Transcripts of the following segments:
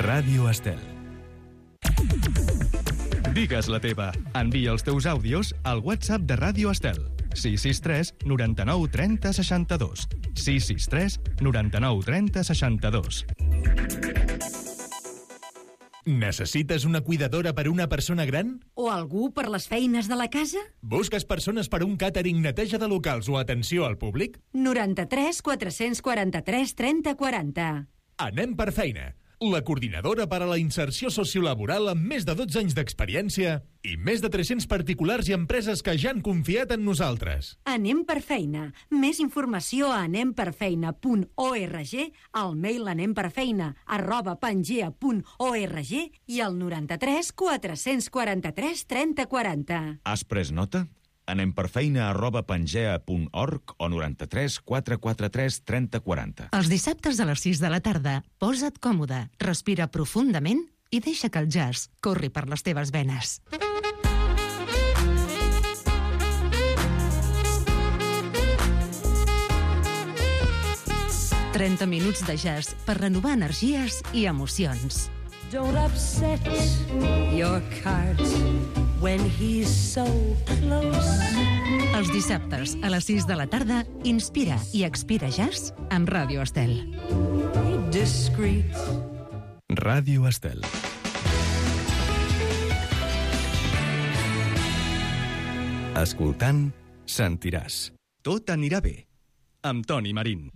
Ràdio Estel. Digues la teva. Envia els teus àudios al WhatsApp de Ràdio Estel. 663 99 30 62. 663 99 30 62. Necessites una cuidadora per una persona gran? O algú per les feines de la casa? Busques persones per un càtering, neteja de locals o atenció al públic? 93 443 30 40. Anem per feina. La coordinadora per a la inserció sociolaboral amb més de 12 anys d'experiència i més de 300 particulars i empreses que ja han confiat en nosaltres. Anem per feina. Més informació a anemperfeina.org, al mail anemperfeina@pangea.org i al 93 443 30 40. Has pres nota? anemperfeina@pangea.org o 93 443 30 40. Els dissabtes a les 6 de la tarda, posa't còmode, respira profundament i deixa que el jazz corri per les teves venes. «30 minuts de jazz per renovar energies i emocions». Don't upset your cart when he's so close. Els dissabtes a les 6 de la tarda, inspira i expira jazz amb Ràdio Estel. Be discreet. Ràdio Estel. Escoltant, sentiràs. Tot anirà bé. Amb Toni Marín.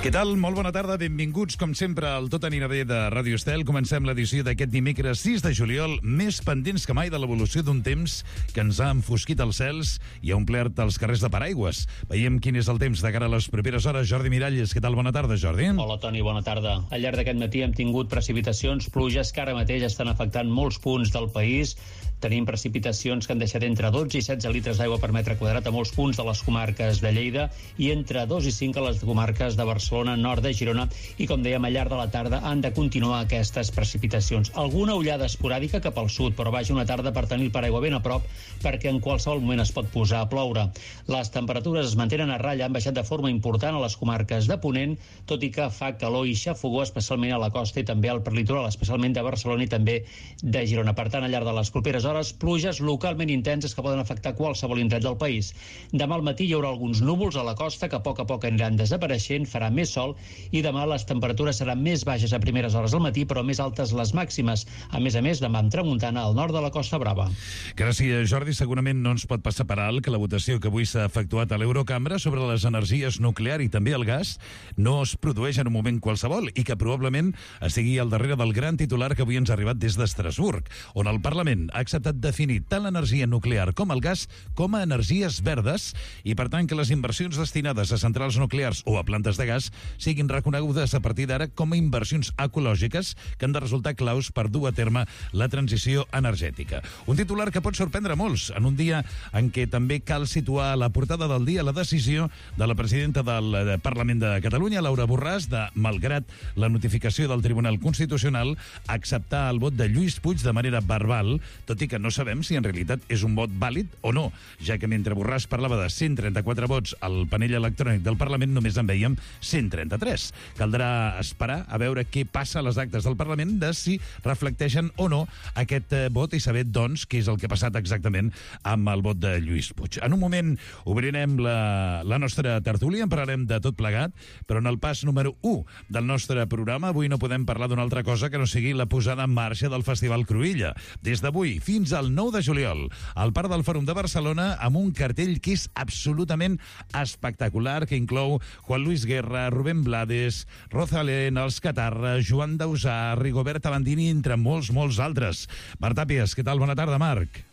Què tal? Molt bona tarda, benvinguts com sempre al Tot anirà bé de Ràdio Estel. Comencem l'edició d'aquest dimecres 6 de juliol, més pendents que mai de l'evolució d'un temps que ens ha enfosquit els cels i ha omplert els carrers de paraigües. Veiem quin és el temps de cara a les properes hores. Jordi Miralles, què tal? Bona tarda, Jordi. Hola, Toni, bona tarda. Al llarg d'aquest matí hem tingut precipitacions, pluges que ara mateix estan afectant molts punts del país. Tenim precipitacions que han deixat entre 12 i 16 litres d'aigua per metre quadrat a molts punts de les comarques de Lleida i entre 2 i 5 a les comarques de Barcelona, nord de Girona, i com dèiem, al llarg de la tarda han de continuar aquestes precipitacions. Alguna ullada esporàdica cap al sud, però vaja, una tarda per tenir el paraigua ben a prop perquè en qualsevol moment es pot posar a ploure. Les temperatures es mantenen a ratlla, han baixat de forma important a les comarques de Ponent, tot i que fa calor i xafogó especialment a la costa i també al perlitoral, especialment de Barcelona i també de Girona. Per tant, al llarg de les properes hores, pluges localment intenses que poden afectar qualsevol indret del país. Demà al matí hi haurà alguns núvols a la costa que a poc aniran desapareixent, farà més sol i demà les temperatures seran més baixes a primeres hores del matí, però més altes les màximes. A més, demà amb tramuntana al nord de la Costa Brava. Gràcies, Jordi. Segurament no ens pot passar per alt que la votació que avui s'ha efectuat a l'Eurocambra sobre les energies nuclear i també el gas no es produeix en un moment qualsevol i que probablement estigui al darrere del gran titular que avui ens ha arribat des d'Estrasburg, on el Parlament ha acceptat definir tant l'energia nuclear com el gas com a energies verdes i, per tant, que les inversions destinades a centrals nuclears o a plantes de gas siguin reconegudes a partir d'ara com a inversions ecològiques que han de resultar claus per dur a terme la transició energètica. Un titular que pot sorprendre molts en un dia en què també cal situar a la portada del dia la decisió de la presidenta del Parlament de Catalunya, Laura Borràs, de, malgrat la notificació del Tribunal Constitucional, acceptar el vot de Lluís Puig de manera verbal, tot i que no sabem si en realitat és un vot vàlid o no, ja que mentre Borràs parlava de 134 vots al panell electrònic del Parlament només en veiem 133. Caldrà esperar a veure què passa a les actes del Parlament de si reflecteixen o no aquest vot i saber, doncs, què és el que ha passat exactament amb el vot de Lluís Puig. En un moment obrirem la nostra tertúlia, en parlarem de tot plegat, però en el pas número 1 del nostre programa avui no podem parlar d'una altra cosa que no sigui la posada en marxa del Festival Cruïlla. Des d'avui fins al 9 de juliol, al Parc del Fòrum de Barcelona, amb un cartell que és absolutament espectacular, que inclou Juan Luis Guerra, Rubén Blades, Rosalén, Els Catarra, Joan Dausà, Rigoberta Bandini, entre molts altres. Marc Tàpies, què tal? Bona tarda, Marc.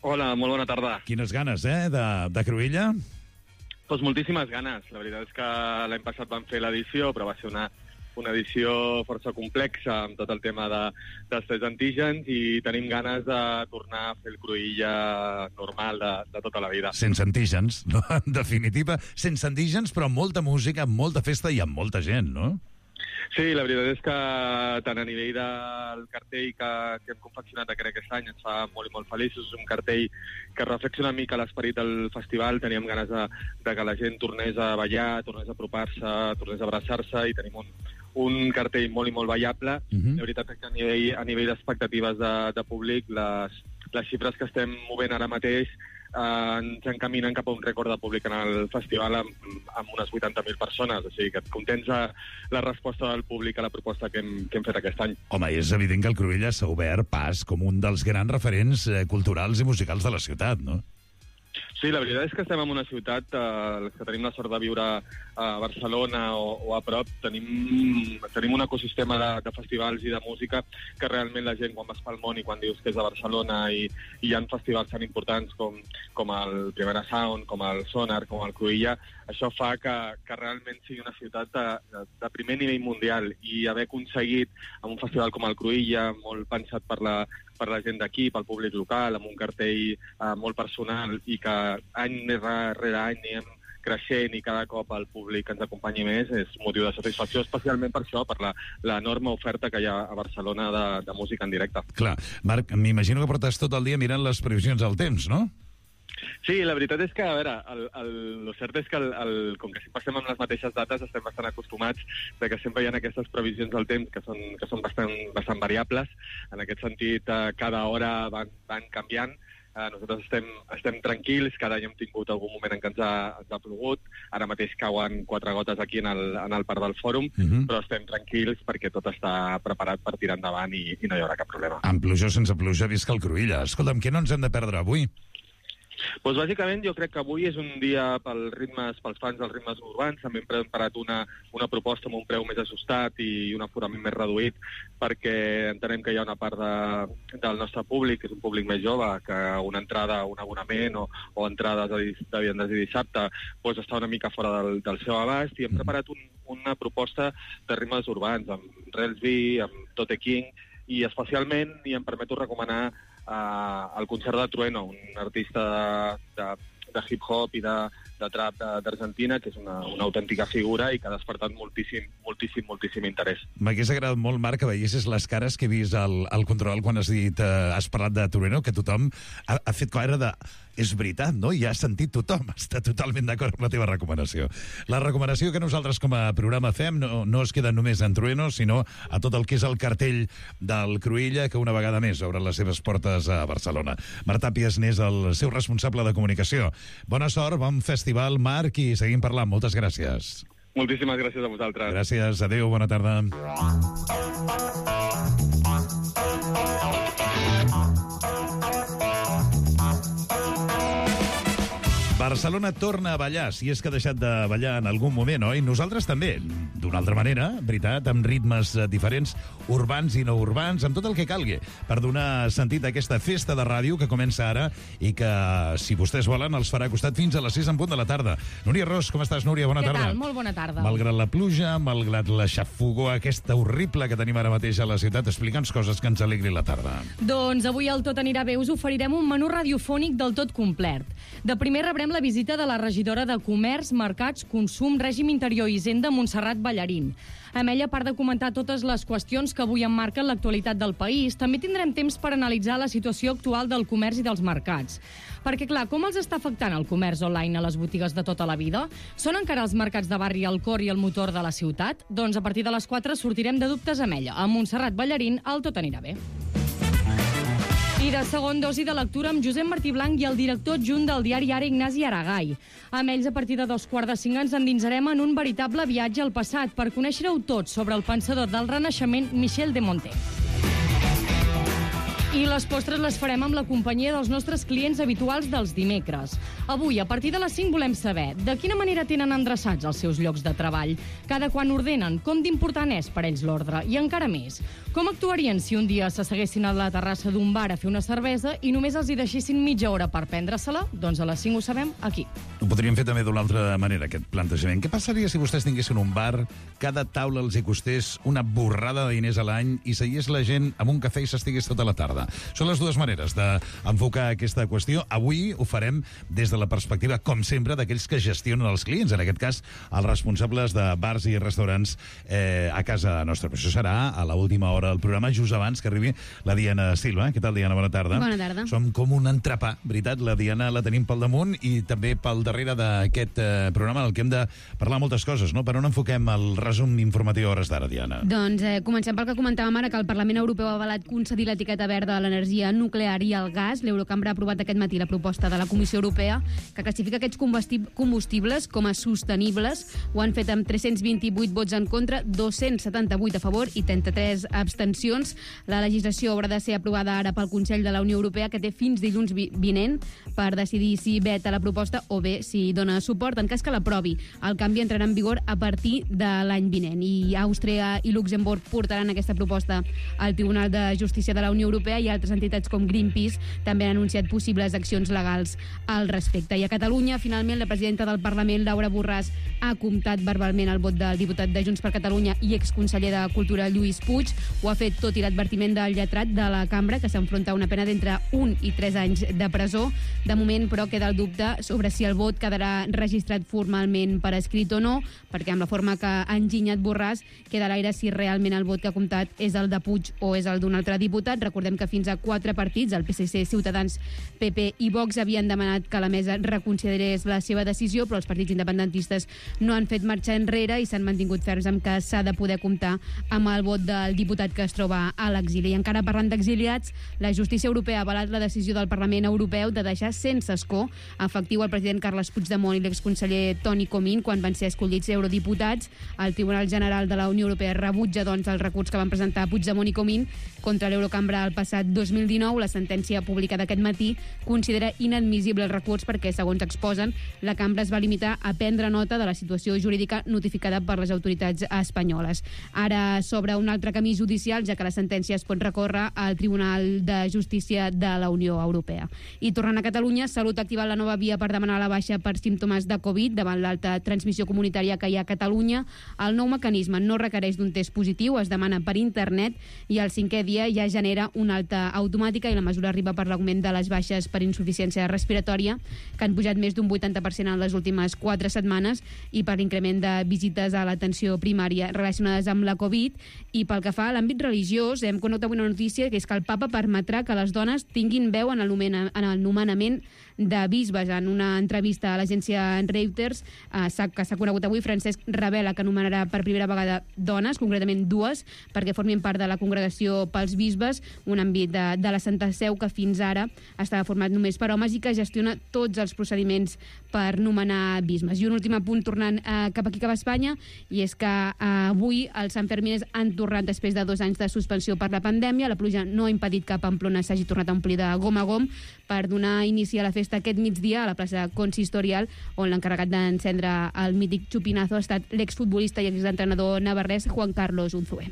Hola, molt bona tarda. Quines ganes, de Cruïlla? Doncs moltíssimes ganes. La veritat és que l'any passat vam fer l'edició, però va ser una edició força complexa amb tot el tema dels tests antígens i tenim ganes de tornar a fer el Cruïlla normal de tota la vida. Sense antígens, no? En definitiva, sense antígens, però amb molta música, amb molta festa i amb molta gent, no? Sí, la veritat és que tant a nivell del cartell que hem confeccionat aquest any ens fa molt i molt feliços. És un cartell que reflexiona una mica l'esperit del festival. Teníem ganes de que la gent tornés a ballar, tornés a apropar-se, tornés a abraçar-se, i tenim un cartell molt i molt ballable. La veritat és que a nivell d'expectatives de públic, les xifres que estem movent ara mateix ens encaminen cap a un rècord de públic en el festival amb unes 80.000 persones. O sigui que contents la resposta del públic a la proposta que hem fet aquest any. Home, és evident que el Cruïlla s'ha obert pas com un dels grans referents culturals i musicals de la ciutat, no? Sí, la veritat és que estem en una ciutat que tenim la sort de viure a Barcelona o a prop. Tenim un ecosistema de festivals i de música que realment la gent, quan vas pel món i quan dius que és de Barcelona i hi ha festivals tan importants com el Primera Sound, com el Sonar, com el Cruïlla, això fa que realment sigui una ciutat de primer nivell mundial, i haver aconseguit amb un festival com el Cruïlla, molt pensat per la gent d'aquí, pel públic local, amb un cartell molt personal, i que any rere any anem creixent i cada cop el públic ens acompanyi més, és motiu de satisfacció, especialment per això, per l'enorme oferta que hi ha a Barcelona de música en directe. Clar. Marc, m'imagino que portes tot el dia mirant les previsions del temps, no? Sí, la veritat és que, a veure, el cert és que com que sempre estem amb les mateixes dates, estem bastant acostumats de que sempre hi ha aquestes previsions del temps que són bastant variables. En aquest sentit, cada hora van canviant. Nosaltres estem tranquils, cada any hem tingut algun moment en què ens ha plogut. Ara mateix cauen 4 gotes aquí en el Parc del Fòrum, però estem tranquils perquè tot està preparat per tirar endavant i no hi haurà cap problema. Amb pluja o sense pluja, visca el Cruïlla. Escolta'm, què no ens hem de perdre avui? Doncs bàsicament jo crec que avui és un dia pels fans dels ritmes urbans. També hem preparat una proposta amb un preu més ajustat i un aforament més reduït, perquè entenem que hi ha una part del nostre públic, que és un públic més jove, que una entrada, un abonament o entrades de divendres i dissabte doncs està una mica fora del seu abast, i hem preparat una proposta de ritmes urbans, amb Relsby, amb Tote King, i especialment, i em permeto recomanar el concert de Trueno, un artista de hip-hop i de trap d'Argentina, que és una autèntica figura i que ha despertat moltíssim interès. M'hagués agradat molt, Marc, que veiessis les cares que he vist al control quan has parlat de Trueno, que tothom ha fet cara de... És veritat, no? I ha sentit tothom. Està totalment d'acord amb la teva recomanació. La recomanació que nosaltres com a programa fem no es queda només en Trueno, sinó a tot el que és el cartell del Cruïlla, que una vegada més obre les seves portes a Barcelona. Marc Tàpies n'és el seu responsable de comunicació. Bona sort, bon festival, Marc, i seguim parlant. Moltes gràcies. Moltíssimes gràcies a vosaltres. Gràcies, adéu, bona tarda. Barcelona torna a ballar, si és que ha deixat de ballar en algun moment, oi? Nosaltres també, d'una altra manera, veritat, amb ritmes diferents, urbans i no urbans, amb tot el que calgui, per donar sentit a aquesta festa de ràdio que comença ara i que, si vostès volen, els farà costat fins a les 6 en punt de la tarda. Núria Ros, com estàs, Núria? Bona tarda. Què tal? Molt bona tarda. Malgrat la pluja, malgrat la xafogor aquesta horrible que tenim ara mateix a la ciutat, explica'ns coses que ens alegri la tarda. Doncs avui al Tot anirà bé us oferirem un menú radiofònic del tot complet. De primer rebrem la visita de la regidora de Comerç, Mercats, Consum, Règim Interior i Hisenda, Montserrat Ballarín. Amb ella, a part de comentar totes les qüestions que avui emmarquen l'actualitat del país, també tindrem temps per analitzar la situació actual del comerç i dels mercats. Perquè, clar, com els està afectant el comerç online a les botigues de tota la vida? Són encara els mercats de barri el cor i el motor de la ciutat? Doncs a partir de les 4 sortirem de dubtes amb ella. Amb Montserrat Ballarín, el Tot anirà bé. I de segon dosi de lectura amb Josep Martí Blanc i el director adjunt del diari Ara, Ignasi Aragai. Amb ells, a partir de 2:45, ens endinsarem en un veritable viatge al passat per conèixer-ho tot sobre el pensador del Renaixement, Michel de Montaigne. I les postres les farem amb la companyia dels nostres clients habituals dels dimecres. Avui, a partir de les 5, volem saber de quina manera tenen endreçats els seus llocs de treball, cada quan ordenen, com d'important és per ells l'ordre, i encara més, com Com actuarien si un dia s'asseguessin a la terrassa d'un bar a fer una cervesa i només els hi deixessin mitja hora per prendre-se-la? Doncs a les 5 ho sabem aquí. Ho podríem fer també d'una altra manera, aquest plantejament. Què passaria si vostès tinguessin un bar, cada taula els hi costés una borrada de diners a l'any i seguís la gent amb un cafè i s'estigués tota la tarda? Són les dues maneres d'enfocar aquesta qüestió. Avui ho farem des de la perspectiva, com sempre, d'aquells que gestionen els clients, en aquest cas, els responsables de bars i restaurants a casa nostra. Però això serà a l'última hora del programa, just abans que arribi la Diana Silva. Què tal, Diana? Bona tarda. Bona tarda. Som com un entrepà, veritat? La Diana la tenim pel damunt i també pel darrere d'aquest programa en el que hem de parlar moltes coses, no? Per on enfoquem el resum informatiu a hores d'ara, Diana? Doncs comencem pel que comentàvem ara, que el Parlament Europeu ha avalat concedir l'etiqueta verda a l'energia nuclear i al gas. L'Eurocambra ha aprovat aquest matí la proposta de la Comissió Europea que classifica aquests combustibles com a sostenibles. Ho han fet amb 328 vots en contra, 278 a favor i 33 abstencions. La legislació haurà de ser aprovada ara pel Consell de la Unió Europea, que té fins dilluns vinent per decidir si veta la proposta o bé si dona suport. En cas que l'aprovi, el canvi entrarà en vigor a partir de l'any vinent. I Àustria i Luxemburg portaran aquesta proposta al Tribunal de Justícia de la Unió Europea i altres entitats com Greenpeace també han anunciat possibles accions legals al respecte. I a Catalunya, finalment, la presidenta del Parlament, Laura Borràs, ha comptat verbalment el vot del diputat de Junts per Catalunya i exconseller de Cultura, Lluís Puig. Ho ha fet tot i l'advertiment del lletrat de la cambra, que s'enfronta a una pena d'entre 1 i 3 anys de presó. De moment, però, queda el dubte sobre si el vot quedarà registrat formalment per escrit o no, perquè amb la forma que ha enginyat Borràs queda a l'aire si realment el vot que ha comptat és el de Puig o és el d'un altre diputat. Recordem que fins a 4 partits, el PSC, Ciutadans, PP i Vox, havien demanat que la mesa reconsiderés la seva decisió, però els partits independentistes no han fet marxa enrere i s'han mantingut ferms amb que s'ha de poder comptar amb el vot del diputat que es troba a l'exili. I encara parlant d'exiliats, la justícia europea ha avalat la decisió del Parlament Europeu de deixar sense escó efectiu el president Carles Puigdemont i l'exconseller Toni Comín quan van ser escollits eurodiputats. El Tribunal General de la Unió Europea rebutja, doncs, el recurs que van presentar Puigdemont i Comín contra l'Eurocambra el passat 2019. La sentència publicada aquest matí considera inadmissible el recurs perquè, segons exposen, la cambra es va limitar a prendre nota de la situació jurídica notificada per les autoritats espanyoles. Ara s'obre un altre camí judicial, ja que la sentència es pot recórrer al Tribunal de Justícia de la Unió Europea. I tornant a Catalunya, Salut ha activat la nova via per demanar la baixa per símptomes de Covid davant l'alta transmissió comunitària que hi ha a Catalunya. El nou mecanisme no requereix d'un test positiu, es demana per internet i al 5è dia ja genera una alta automàtica i la mesura arriba per l'augment de les baixes per insuficiència respiratòria, que han pujat més d'un 80% en les últimes 4 setmanes, i per l'increment de visites a l'atenció primària relacionades amb la Covid. I pel que fa a l'àmbit religiós, hem conegut avui una notícia, que és que el papa permetrà que les dones tinguin veu en el nomenament de bisbes. En una entrevista a l'agència Reuters, que s'ha conegut avui, Francesc revela que anomenarà per primera vegada dones, concretament 2, perquè formin part de la congregació pels bisbes, un àmbit de la Santa Seu que fins ara estava format només per homes i que gestiona tots els procediments per nomenar bisbes. I un últim apunt tornant cap aquí, cap a Espanya, i és que avui els Sanfermines han tornat després de 2 anys de suspensió per la pandèmia. La pluja no ha impedit que Pamplona s'hagi tornat a omplir de gom a gom per donar inici a la festa aquest migdia a la plaça Consistorial, on l'encarregat d'encendre el mític xupinazo ha estat l'exfutbolista i exentrenador navarrès Juan Carlos Unzué.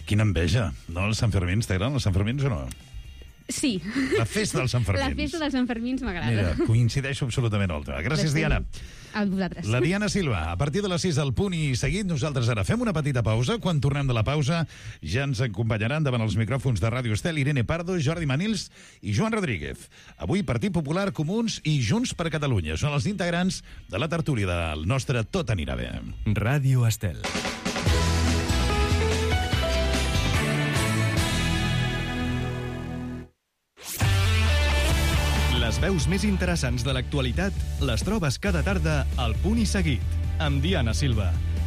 Quina enveja, no? Els Sanfermins, t'agraden els Sanfermins o no? Sí. La festa dels Sanfermins. La festa dels Sanfermins m'agrada. Mira, coincideixo absolutament amb l'altre. Gràcies, Diana. A vosaltres. La Diana Silva, a partir de les 6 del Punt i Seguit. Nosaltres ara fem una petita pausa. Quan tornem de la pausa ja ens acompanyaran davant els micròfons de Ràdio Estel Irene Pardo, Jordi Manils i Joan Rodríguez. Avui Partit Popular, Comuns i Junts per Catalunya. Són els integrants de la tertúlia del nostre Tot anirà bé. Ràdio Estel. Les veus més interessants de l'actualitat les trobes cada tarda al Punt i Seguit, amb Diana Silva.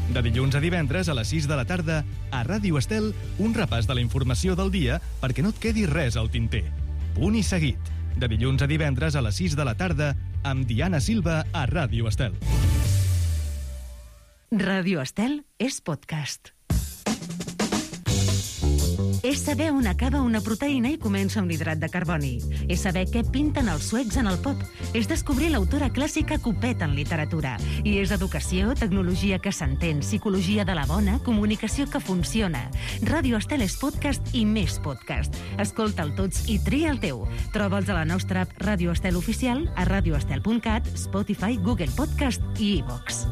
De dilluns a divendres a les 6 de la tarda, a Ràdio Estel, un repàs de la informació del dia perquè no et quedi res al tinter. Punt i Seguit. De dilluns a divendres a les 6 de la tarda, amb Diana Silva a Ràdio Estel. Ràdio Estel és podcast. És saber on acaba una proteïna i comença un hidrat de carboni. És saber què pinten els suecs en el pop. És descobrir l'autora clàssica Copet en literatura. I és educació, tecnologia que s'entén, psicologia de la bona, comunicació que funciona. Ràdio Estel és podcast i més podcast. Escolta'l tots i tria el teu. Troba'ls a la nostra app Ràdio Estel Oficial, a radioestel.cat, Spotify, Google Podcast i iVox.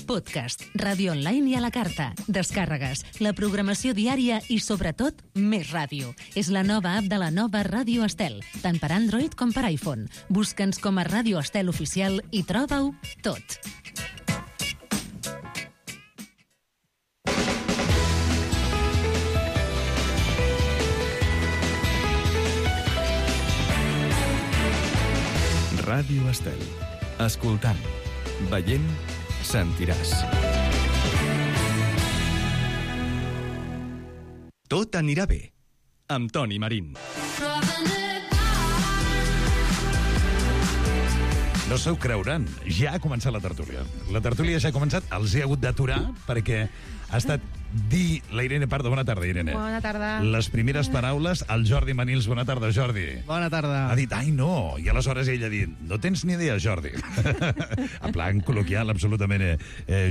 Podcast, ràdio online i a la carta, descàrregues, la programació diària i, sobretot, més ràdio. És la nova app de la nova Ràdio Estel, tant per Android com per iPhone. Busca'ns com a Ràdio Estel Oficial i troba-ho tot. Ràdio Estel. Escoltant, veient, sentiràs. Tot anirà bé, amb Toni Marín. No s'ho creuran, ja ha començat la tertúlia. La tertúlia ja ha començat, els he hagut d'aturar perquè ha estat dir la Irene Pardo. Bona tarda, Irene. Bona tarda. Les primeres paraules al Jordi Manils. Bona tarda, Jordi. Bona tarda. Ha dit, ai, no. I aleshores ell ha dit, no tens ni idea, Jordi. En plan col·loquial, absolutament.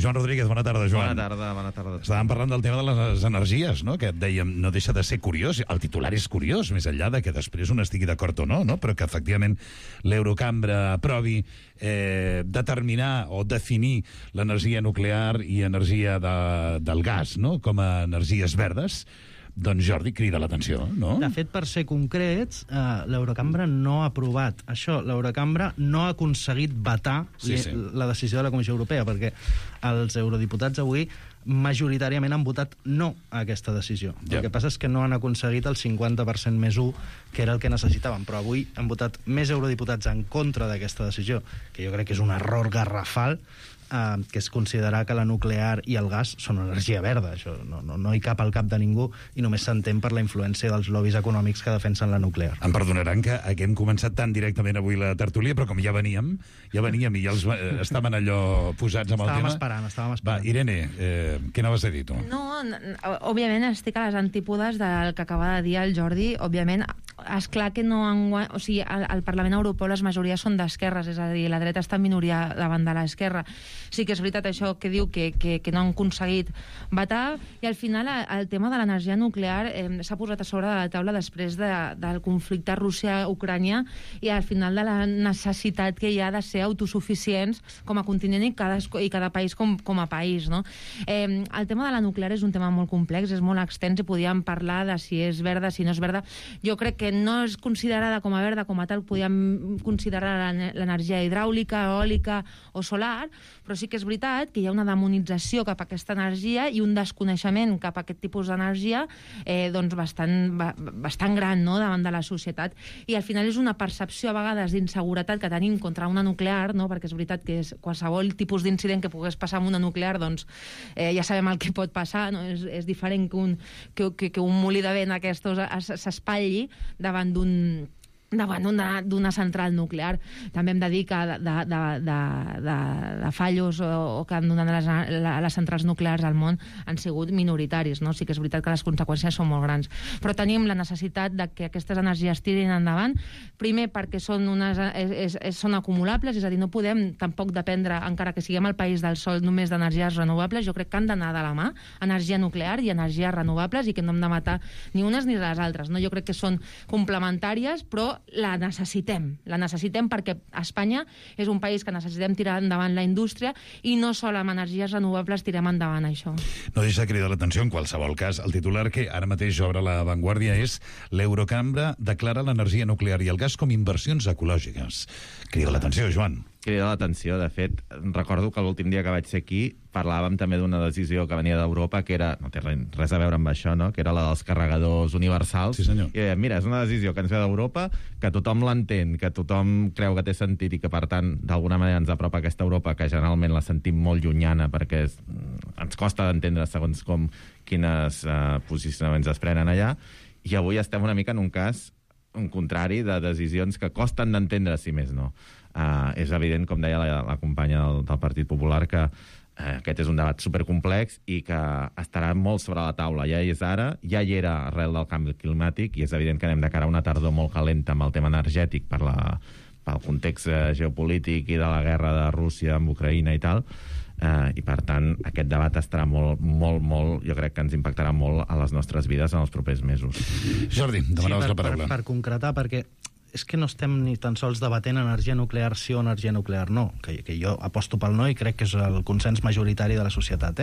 Joan Rodríguez, bona tarda, Joan. Bona tarda. Estàvem parlant del tema de les energies, no? Que et dèiem, no deixa de ser curiós. El titular és curiós, més enllà de que després un estigui d'acord o no, però que efectivament l'Eurocambra aprovi determinar o definir l'energia nuclear i energia del gas, no?, com a energies verdes. Doncs Jordi crida l'atenció, no? De fet, per ser concrets, l'Eurocambra no ha aprovat això. L'Eurocambra no ha aconseguit vetar la decisió de la Comissió Europea, perquè els eurodiputats avui majoritàriament han votat no a aquesta decisió. El que passa és que no han aconseguit el 50% més 1, que era el que necessitaven, però avui han votat més eurodiputats en contra d'aquesta decisió, que jo crec que és un error garrafal, que és considerar que la nuclear i el gas són energia verda. Això no hi cap al cap de ningú i només s'entén per la influència dels lobbies econòmics que defensen la nuclear. Em perdonaran que hem començat tan directament avui la tertúlia, però com ja veníem i ja els estaven allò posats amb el tema... Estàvem esperant. Va, Irene, què anaves a dir tu? No, òbviament estic a les antípodes del que acaba de dir el Jordi. Òbviament, és clar que no o sigui, al Parlament Europeu les majories són d'esquerres, és a dir, la dreta està en minoria davant de l'esquerra. Sí que és veritat això que diu que no han aconseguit vetar, i al final el tema de l'energia nuclear s'ha posat a sobre de la taula després del conflicte Rússia-Ucrània i al final de la necessitat que hi ha de ser autosuficients com a continent i cada país com a país, no? El tema de la nuclear és un tema molt complex, és molt extens i podíem parlar de si és verda, si no és verda. Jo crec que no és considerada com a verda, com a tal podíem considerar l'energia hidràulica, eòlica o solar, però sí que és veritat que hi ha una demonització cap a aquesta energia i un desconeixement cap a aquest tipus d'energia doncs bastant gran, no?, davant de la societat. I al final és una percepció a vegades d'inseguretat que tenim contra una nuclear, no?, perquè és veritat que qualsevol tipus d'incident que pogués passar amb una nuclear, doncs ja sabem el que pot passar, no? És diferent que un molí de vent aquests s'espatlli davant d'una central nuclear. També hem de dir que de fallos o que han donat les centrals nuclears al món han sigut minoritaris, no? Sí que és veritat que les conseqüències són molt grans. Però tenim la necessitat de que aquestes energies tirin endavant, primer perquè són acumulables, és a dir, no podem tampoc dependre, encara que siguem el país del sol, només d'energies renovables. Jo crec que han d'anar de la mà, energia nuclear i energies renovables, i que no hem de matar ni unes ni les altres, no? Jo crec que són complementàries, però la necessitem perquè Espanya és un país que necessitem tirar endavant la indústria i no sol amb energies renovables tirem endavant això. No deixa de cridar l'atenció, en qualsevol cas. El titular que ara mateix obre La Vanguardia és l'Eurocambra declara l'energia nuclear i el gas com inversions ecològiques. Crida l'atenció, Joan. Crida l'atenció. De fet, recordo que l'últim dia que vaig ser aquí parlàvem també d'una decisió que venia d'Europa que era, no té res a veure amb això, no?, que era la dels carregadors universals. Sí, senyor. I mira, és una decisió que ens ve d'Europa, que tothom l'entén, que tothom creu que té sentit i que, per tant, d'alguna manera ens apropa a aquesta Europa que generalment la sentim molt llunyana perquè ens costa d'entendre segons quines posicionaments es prenen allà, i avui estem una mica en un cas un contrari de decisions que costen d'entendre, si més no. És evident, com deia la companya del Partit Popular, que aquest és un debat supercomplex i que estarà molt sobre la taula. Ja és ara, ja hi era arrel del canvi climàtic, i és evident que anem de cara a una tardor molt calenta amb el tema energètic pel context geopolític i de la guerra de Rússia amb Ucraïna i tal, i per tant aquest debat estarà molt, jo crec que ens impactarà molt a les nostres vides en els propers mesos. Jordi, demanaves la paraula. Per concretar, perquè és que no estem ni tan sols debatent energia nuclear sí o energia nuclear no, que jo aposto pel no i crec que és el consens majoritari de la societat,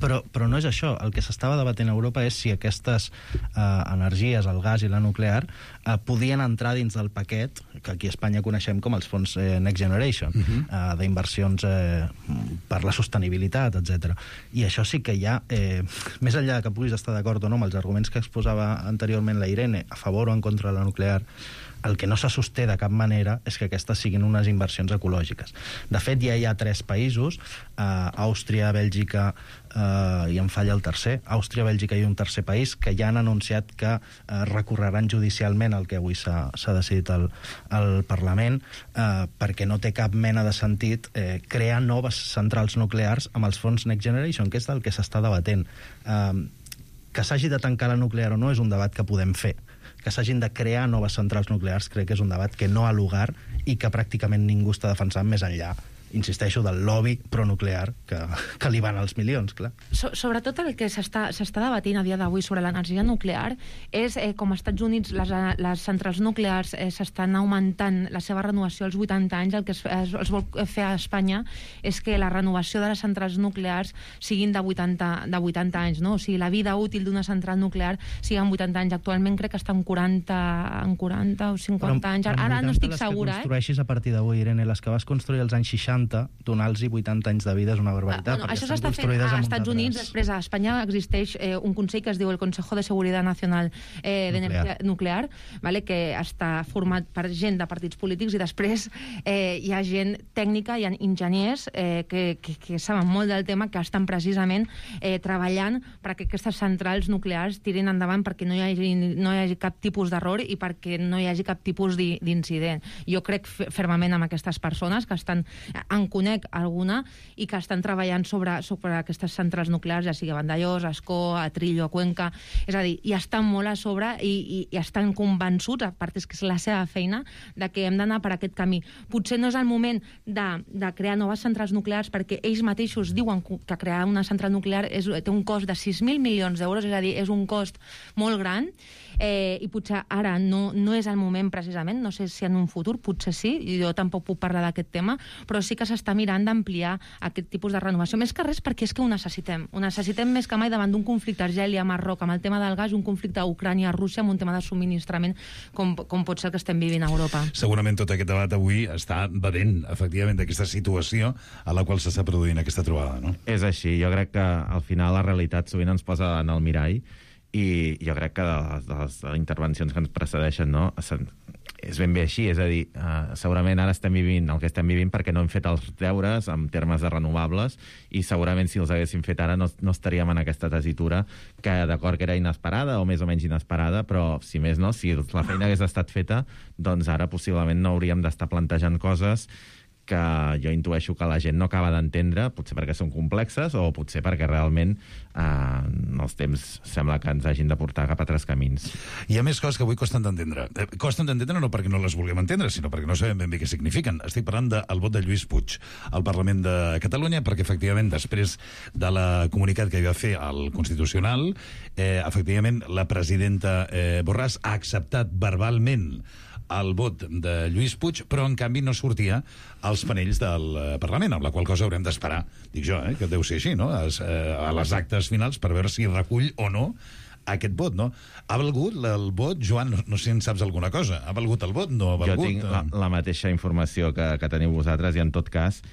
però no és això. El que s'estava debatent a Europa és si aquestes energies, el gas i la nuclear, podien entrar dins del paquet que aquí a Espanya coneixem com els fons Next Generation, d'inversions per la sostenibilitat, etc. I això sí que hi ha, més enllà que puguis estar d'acord o no amb els arguments que exposava anteriorment la Irene, a favor o en contra de la nuclear, el que no se sosté de cap manera és que aquestes siguin unes inversions ecològiques. De fet, ja hi ha 3 països, Àustria, Bèlgica, i em falla el tercer, Àustria, Bèlgica i un tercer país, que ja han anunciat que recorreran judicialment el que avui s'ha decidit al Parlament, perquè no té cap mena de sentit crear noves centrals nuclears amb els fons Next Generation, que és del que s'està debatent. Que s'hagi de tancar la nuclear o no és un debat que podem fer. Que s'hagin de crear noves centrals nuclears crec que és un debat que no ha lugar i que pràcticament ningú està defensant més enllà, insisteixo, del lobby pronuclear que li van als milions, clar. Sobretot el que s'està debatint a dia d'avui sobre l'energia nuclear és com als Estats Units les centrals nuclears s'estan augmentant la seva renovació als 80 anys. El que es vol fer a Espanya és que la renovació de les centrals nuclears siguin de 80 anys, no? O sigui, la vida útil d'una central nuclear sigui en 80 anys. Actualment crec que està en 40 o 50 anys. Ara no estic segura. Les que construeixis a partir d'avui, Irene, les que vas construir als anys 60, donar-los 80 anys de vida és una barbaritat. Això s'està fent als Estats Units. Després a Espanya existeix un consell que es diu el Consejo de Seguridad Nacional de Nuclear, que està format per gent de partits polítics, i després hi ha gent tècnica, hi ha enginyers que saben molt del tema, que estan precisament treballant perquè aquestes centrals nuclears tirin endavant, perquè no hi hagi cap tipus d'error i perquè no hi hagi cap tipus d'incident. Jo crec fermament amb aquestes persones que estan, en conec alguna, i que estan treballant sobre aquestes centrals nuclears, ja sigui a Vandellós, a Ascó, a Trillo, a Cuenca. És a dir, i estan molt a sobre i estan convençuts, a part és que és la seva feina, de que hem d'anar per aquest camí. Potser no és el moment de crear noves centrals nuclears, perquè ells mateixos diuen que crear una central nuclear té un cost de 6.000 milions d'euros, és a dir, és un cost molt gran, i potser ara no és el moment precisament, no sé si en un futur, potser sí, jo tampoc puc parlar d'aquest tema, però sí que s'està mirant d'ampliar aquest tipus de renovació. Més que res perquè és que ho necessitem més que mai davant d'un conflicte Argèlia-Marroc amb el tema del gas, un conflicte a Ucrània-Rússia amb un tema de subministrament com pot ser el que estem vivint a Europa. Segurament tot aquest debat avui està bevent, efectivament, d'aquesta situació a la qual s'està produint aquesta trobada, no? És així, jo crec que al final la realitat sovint ens posa en el mirall, i jo crec que de les intervencions que ens precedeixen, no, és ben bé així, és a dir, segurament ara estem vivint el que estem vivint perquè no hem fet els deures en termes de renovables, i segurament si els haguéssim fet ara no estaríem en aquesta tessitura, que d'acord que era inesperada o més o menys inesperada, però si més no, si la feina hagués estat feta, doncs ara possiblement no hauríem d'estar plantejant coses que jo intueixo que la gent no acaba d'entendre, potser perquè són complexes o potser perquè realment els temps sembla que ens hagin de portar cap a altres camins. Hi ha més coses que avui costen d'entendre. Costen d'entendre no perquè no les vulguem entendre, sinó perquè no sabem ben bé què signifiquen. Estic parlant del vot de Lluís Puig al Parlament de Catalunya, perquè efectivament després de la comunicat que hi va fer al Constitucional, efectivament la presidenta Borràs ha acceptat verbalment el vot de Lluís Puig, però en canvi no sortia als panells del Parlament, amb la qual cosa haurem d'esperar, dic jo, que deu ser així, no? A les actes finals per veure si recull o no aquest vot, no? Ha valgut el vot, Joan, no sé si en saps alguna cosa, ha valgut el vot, no ha valgut? Jo tinc la mateixa informació que teniu vosaltres, i en tot cas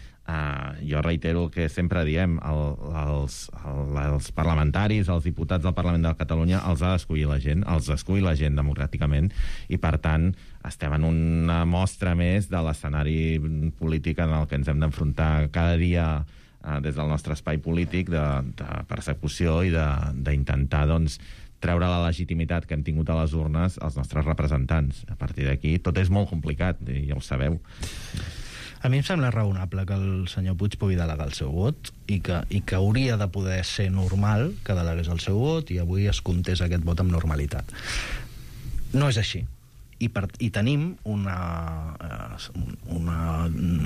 jo reitero el que sempre diem, els parlamentaris, els diputats del Parlament de Catalunya els ha d'escollir la gent, els escull la gent democràticament, i per tant estem en una mostra més de l'escenari polític en el que ens hem d'enfrontar cada dia des del nostre espai polític de persecució i d'intentar, doncs, treure la legitimitat que hem tingut a les urnes als nostres representants. A partir d'aquí tot és molt complicat, i ja ho sabeu. A mi em sembla raonable que el senyor Puig pugui delegar el seu vot i que hauria de poder ser normal que delegués el seu vot i avui es comptés aquest vot amb normalitat. No és així. I tenim una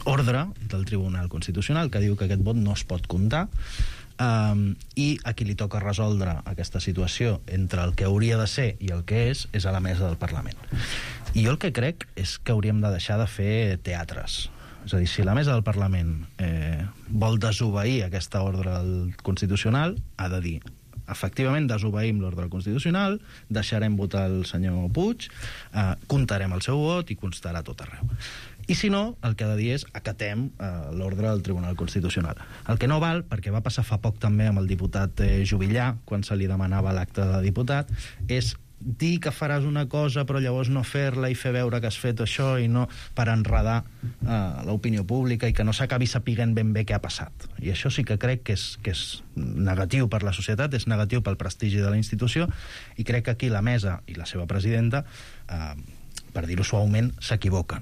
ordre del Tribunal Constitucional que diu que aquest vot no es pot comptar i a qui li toca resoldre aquesta situació entre el que hauria de ser i el que és a la mesa del Parlament. I jo el que crec és que hauríem de deixar de fer teatres. És a dir, si la mesa del Parlament vol desobeir aquesta ordre constitucional, ha de dir efectivament desobeïm l'ordre constitucional, deixarem votar el senyor Puig, comptarem el seu vot i constarà tot arreu. I si no, el que ha de dir és acatem l'ordre del Tribunal Constitucional. El que no val, perquè va passar fa poc també amb el diputat Juvillà, quan se li demanava l'acte de diputat, és dir que faràs una cosa però llavors no fer-la i fer veure que has fet això i no per enredar l'opinió pública i que no s'acabi sapiguent ben bé què ha passat. I això sí que crec que és negatiu per la societat, és negatiu pel prestigi de la institució i crec que aquí la mesa i la seva presidenta per dir-ho suaument, s'equivoquen.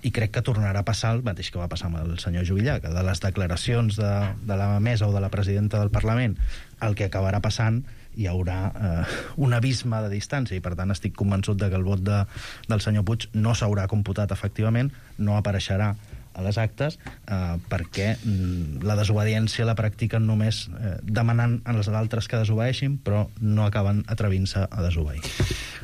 I crec que tornarà a passar el mateix que va passar amb el senyor Juvillà, que de les declaracions de la mesa o de la presidenta del Parlament el que acabarà passant hi haurà un abisme de distància i per tant estic convençut que el vot del senyor Puig no s'haurà computat efectivament, no apareixerà a les actes perquè la desobediència la practiquen només demanant als altres que desobeeixin però no acaben atrevint-se a desobeir.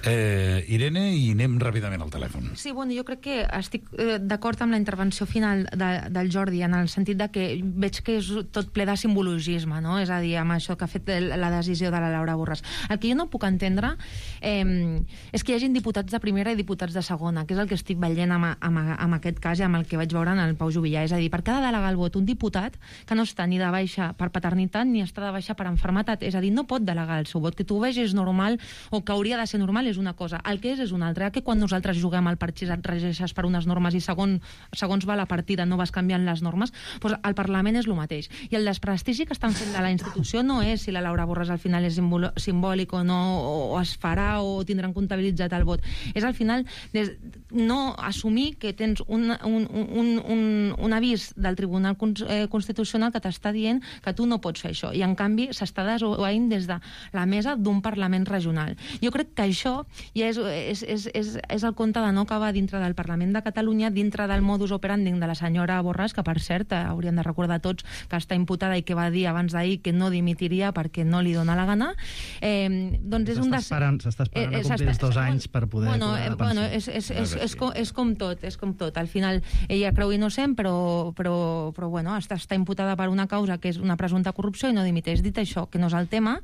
Irene, i anem ràpidament al telèfon. Sí, bueno, jo crec que estic d'acord amb la intervenció final del Jordi, en el sentit de que veig que és tot ple de simbologisme, no? És a dir, amb això que ha fet la decisió de la Laura Borràs. El que jo no puc entendre és que hi hagin diputats de primera i diputats de segona, que és el que estic veient amb aquest cas i amb el que vaig veure en el Pau Juvillà. És a dir, per què ha de delegar el vot un diputat que no està ni de baixa per paternitat ni està de baixa per enfermetat? És a dir, no pot delegar el seu vot. Que tu ho vegis normal o que hauria de ser normal és una cosa, el que és una altra, que quan nosaltres juguem al parxís et regeixes per unes normes i segons va la partida no vas canviant les normes, doncs el Parlament és el mateix. I el desprestigi que estan fent de la institució no és si la Laura Borràs al final és simbòlic o no, o es farà o tindran comptabilitzat el vot. És al final no assumir que tens un avís del Tribunal Constitucional que t'està dient que tu no pots fer això, i en canvi s'està desobeint des de la mesa d'un Parlament regional. Jo crec que això ja és el conte de no acabar dintre del Parlament de Catalunya, dintre del modus operandi de la senyora Borràs, que per cert hauríem de recordar tots que està imputada i que va dir abans d'ahir que no dimitiria perquè no li dona la gana. S'està esperant a complir els 2 anys per poder... Bueno, és com tot. Al final ella creu innocent, però bueno, està imputada per una causa que és una presumpta corrupció i no dimiteix. Dit això, que no és el tema,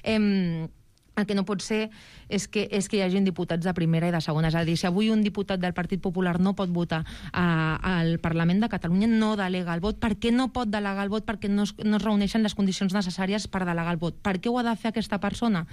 el que no pot ser és que hi hagi diputats de primera i de segona. És a dir, si avui un diputat del Partit Popular no pot votar al Parlament de Catalunya, no delega el vot. Per què no pot delegar el vot? Perquè no es reuneixen les condicions necessàries per delegar el vot. Per què ho ha de fer aquesta persona?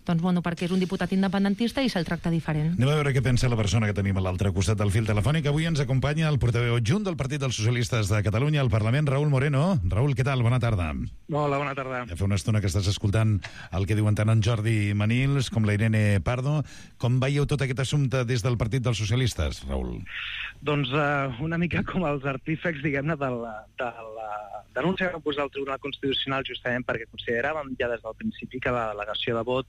Doncs, bueno, perquè és un diputat independentista i se'l tracta diferent. Anem a veure què pensa la persona que tenim a l'altre costat del fil telefònic. Avui ens acompanya el portaveu adjunt del Partit dels Socialistes de Catalunya al Parlament, Raúl Moreno. Raúl, què tal? Bona tarda. Hola, bona tarda. Ja fa una estona que estàs escoltant el que diuen tant en Jordi Manils com la Irene Pardo. Com veieu tot aquest assumpte des del Partit dels Socialistes, Raúl? Doncs una mica com els artífecs, diguem-ne, de la denúncia que va posar el Tribunal Constitucional, justament perquè consideràvem ja des del principi que la delegació de vot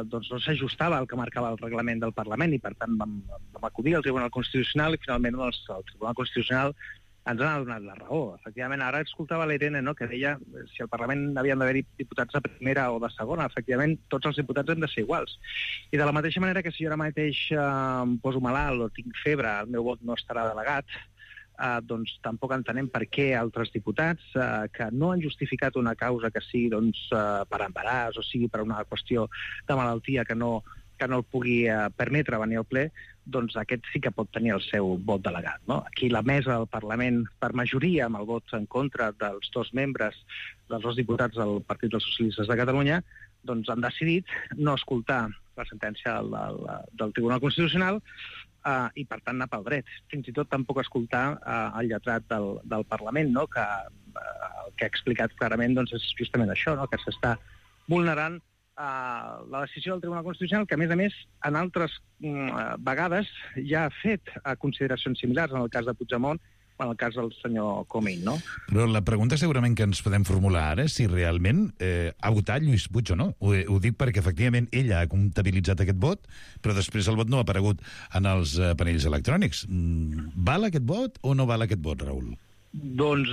doncs no s'ajustava al que marcava el reglament del Parlament i, per tant, vam acudir al Tribunal Constitucional i, finalment, el Tribunal Constitucional ens ha donat la raó. Efectivament, ara escoltava la Irene, no?, que deia si al Parlament havien d'haver-hi diputats de primera o de segona. Efectivament, tots els diputats han de ser iguals. I de la mateixa manera que si jo ara mateix em poso malalt o tinc febre, el meu vot no estarà delegat, doncs tampoc entenem per què altres diputats que no han justificat una causa que sigui per embaràs o sigui per una qüestió de malaltia que no el pugui permetre venir al ple, doncs aquest sí que pot tenir el seu vot delegat, no? Aquí la mesa del Parlament, per majoria, amb el vot en contra dels 2 membres, dels 2 diputats del Partit dels Socialistes de Catalunya, doncs han decidit no escoltar la sentència del Tribunal Constitucional i, per tant, anar pel dret. Fins i tot tampoc escoltar el lletrat del Parlament, no?, que el que ha explicat clarament doncs, és justament això, no?, que s'està vulnerant la decisió del Tribunal Constitucional, que, a més, en altres vegades ja ha fet consideracions similars en el cas de Puigdemont en el cas del senyor Comín, no? Però la pregunta segurament que ens podem formular ara és si realment ha votat Lluís Puig o no. Ho dic perquè, efectivament, ell ha comptabilitzat aquest vot, però després el vot no ha aparegut en els panells electrònics. Val aquest vot o no val aquest vot, Raül? Doncs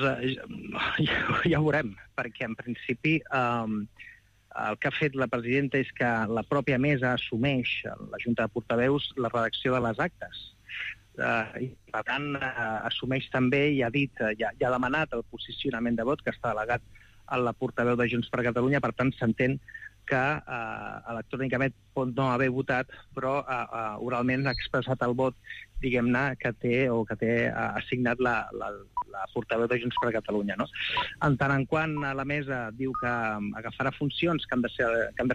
ja ho veurem, perquè en principi el que ha fet la presidenta és que la pròpia mesa assumeix, la Junta de Portaveus, la redacció de les actes. I per tant assumeix també i ha dit, ja ha demanat el posicionament de vot que està delegat a la portaveu de Junts per Catalunya, per tant s'entén que electrònicament pot no haver votat, però oralment ha expressat el vot, diguem-ne, que té assignat la portaveu de Junts per Catalunya, no? En tant en quant la mesa diu que agafarà funcions que han de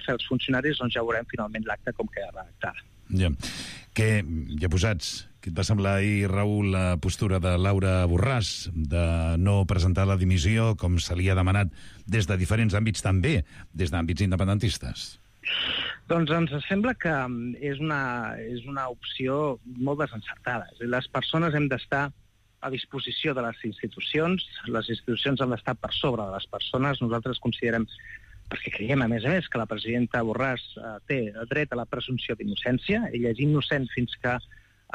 fer els funcionaris, doncs ja veurem finalment l'acte com queda redactada. Ja. Ja posats, què et va semblar ahir, Raül, la postura de Laura Borràs de no presentar la dimissió com se li ha demanat des de diferents àmbits, també des d'àmbits independentistes? Doncs ens sembla que és una opció molt desencertada. Les persones hem d'estar a disposició de les institucions han d'estar per sobre de les persones. Nosaltres considerem, perquè creiem, a més, que la presidenta Borràs té dret a la presumpció d'innocència. Ella és innocent fins que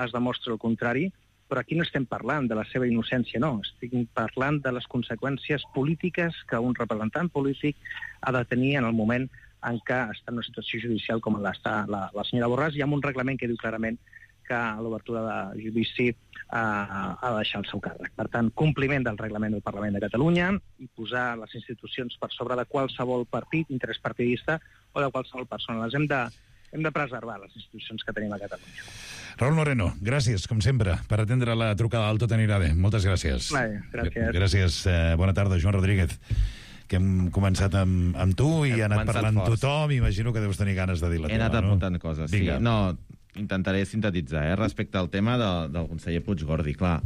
es demostra el contrari, però aquí no estem parlant de la seva innocència, no. Estic parlant de les conseqüències polítiques que un representant polític ha de tenir en el moment en què està en una situació judicial com l'està la senyora Borràs, i amb un reglament que diu clarament que a l'obertura de judici ha de deixar el seu càrrec. Per tant, compliment del reglament del Parlament de Catalunya i posar les institucions per sobre de qualsevol partit, interès partidista o de qualsevol persona. Hem de preservar les institucions que tenim a Catalunya. Raül Moreno, gràcies, com sempre, per atendre la trucada del Tot anirà bé. Moltes gràcies. Gràcies. Gràcies. Bona tarda, Joan Rodríguez, que hem començat amb tu i ha anat parlant tothom. Imagino que deus tenir ganes de dir la teva, no? He anat apuntant coses, sí. Vinga. No, intentaré sintetitzar, respecte al tema del conseller Puigdemont. Clar,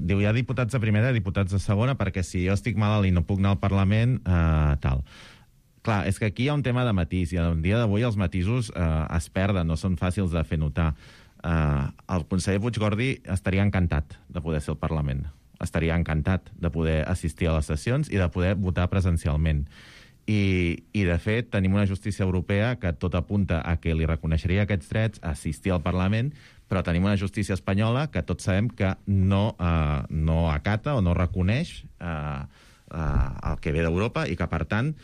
diu, hi ha diputats de primera i diputats de segona, perquè si jo estic malalt i no puc anar al Parlament, tal. Clar, és que aquí hi ha un tema de matís, i en dia d'avui els matisos es perden, no són fàcils de fer notar. El conseller Puigdemont estaria encantat de poder ser al Parlament. Estaria encantat de poder assistir a les sessions i de poder votar presencialment. I de fet, tenim una justícia europea que tot apunta a que li reconeixeria aquests drets a assistir al Parlament, però tenim una justícia espanyola que tots sabem que no acata o no reconeix el que ve d'Europa i que, per tant,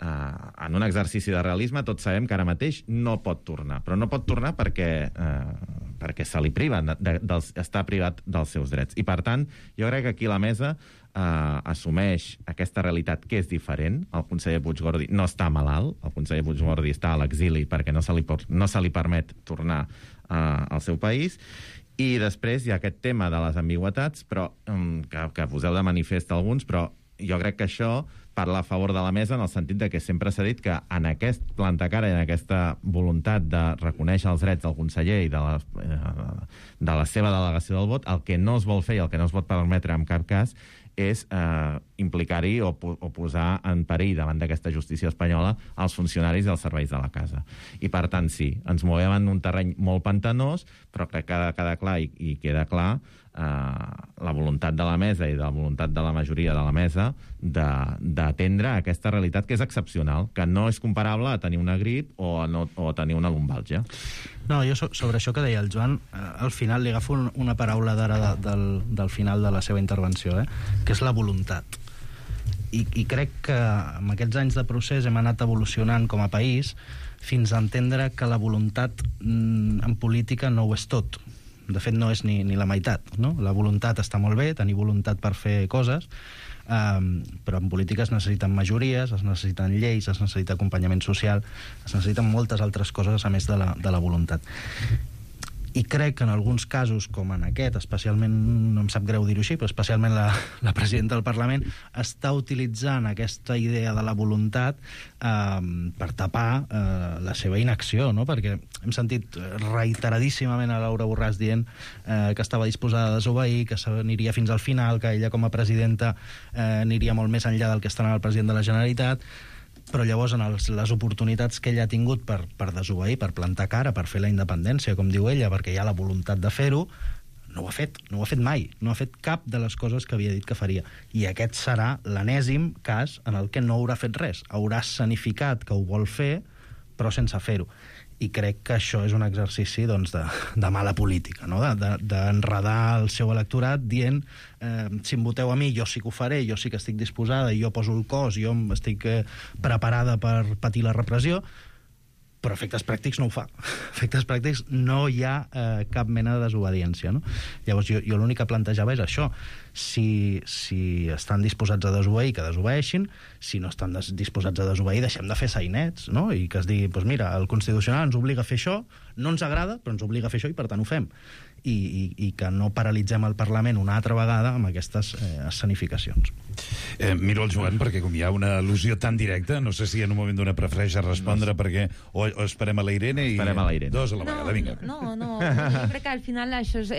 en un exercici de realisme, tots sabem que ara mateix no pot tornar. Però no pot tornar perquè se li priva, està privat dels seus drets. I, per tant, jo crec que aquí la mesa assumeix aquesta realitat que és diferent. El conseller Puigdemont no està malalt, el conseller Puigdemont està a l'exili perquè no se li permet tornar al seu país. I després hi ha aquest tema de les ambigüitats, però que poseu de manifest alguns, però jo crec que això parla a favor de la mesa en el sentit de que sempre s'ha dit que en aquest plantacara i en aquesta voluntat de reconèixer els drets del conseller i de la seva delegació del vot, el que no es vol fer i el que no es pot permetre en cap cas és implicar-hi o posar en perill davant d'aquesta justícia espanyola els funcionaris i els serveis de la casa. I per tant, sí, ens movem en un terreny molt pantanós, però que queda clar i queda clar la voluntat de la mesa i la voluntat de la majoria de la mesa d'atendre aquesta realitat que és excepcional, que no és comparable a tenir una grip o a tenir una lumbàlgia. No, jo sobre això que deia el Joan, al final li agafo una paraula d'ara del final de la seva intervenció, que és la voluntat. I crec que amb aquests anys de procés hem anat evolucionant com a país fins a entendre que la voluntat en política no ho és tot. De fet, no és ni la meitat, no? La voluntat està molt bé, tenir voluntat per fer coses, però en política es necessiten majories, es necessiten lleis, es necessita acompanyament social, es necessiten moltes altres coses a més de la voluntat. I crec que en alguns casos, com en aquest, especialment, no em sap greu dir-ho així, però especialment la presidenta del Parlament està utilitzant aquesta idea de la voluntat per tapar la seva inacció, no? Perquè hem sentit reiteradíssimament a Laura Borràs dient que estava disposada a desobeir, que s'aniria fins al final, que ella com a presidenta aniria molt més enllà del que està anant el president de la Generalitat. Però llavors en les oportunitats que ella ha tingut per desobeir, per plantar cara, per fer la independència, com diu ella, perquè hi ha la voluntat de fer-ho, no ho ha fet mai, no ha fet cap de les coses que havia dit que faria. I aquest serà l'enèsim cas en el que no haurà fet res. Haurà escenificat que ho vol fer, però sense fer-ho. I crec que això és un exercici doncs, de mala política, no? D'enredar el seu electorat dient si em voteu a mi jo sí que ho faré, jo sí que estic disposada, jo poso el cos, jo estic preparada per patir la repressió, però efectes pràctics no ho fa. Efectes pràctics no hi ha cap mena de desobediència, no? Llavors jo l'únic que plantejava és això. Si estan disposats a desobeir, que desobeeixin. Si no estan disposats a desobeir, deixem de fer sainets, no? I que es digui, doncs mira, el Constitucional ens obliga a fer això, no ens agrada, però ens obliga a fer això i per tant ho fem. I que no paralitzem el Parlament una altra vegada amb aquestes escenificacions. Miro el Joan, perquè com hi ha una al·lusió tan directa, no sé si en un moment donat prefereix respondre, perquè o esperem a la Irene i dos a la vegada, vinga. No, jo crec que al final això és,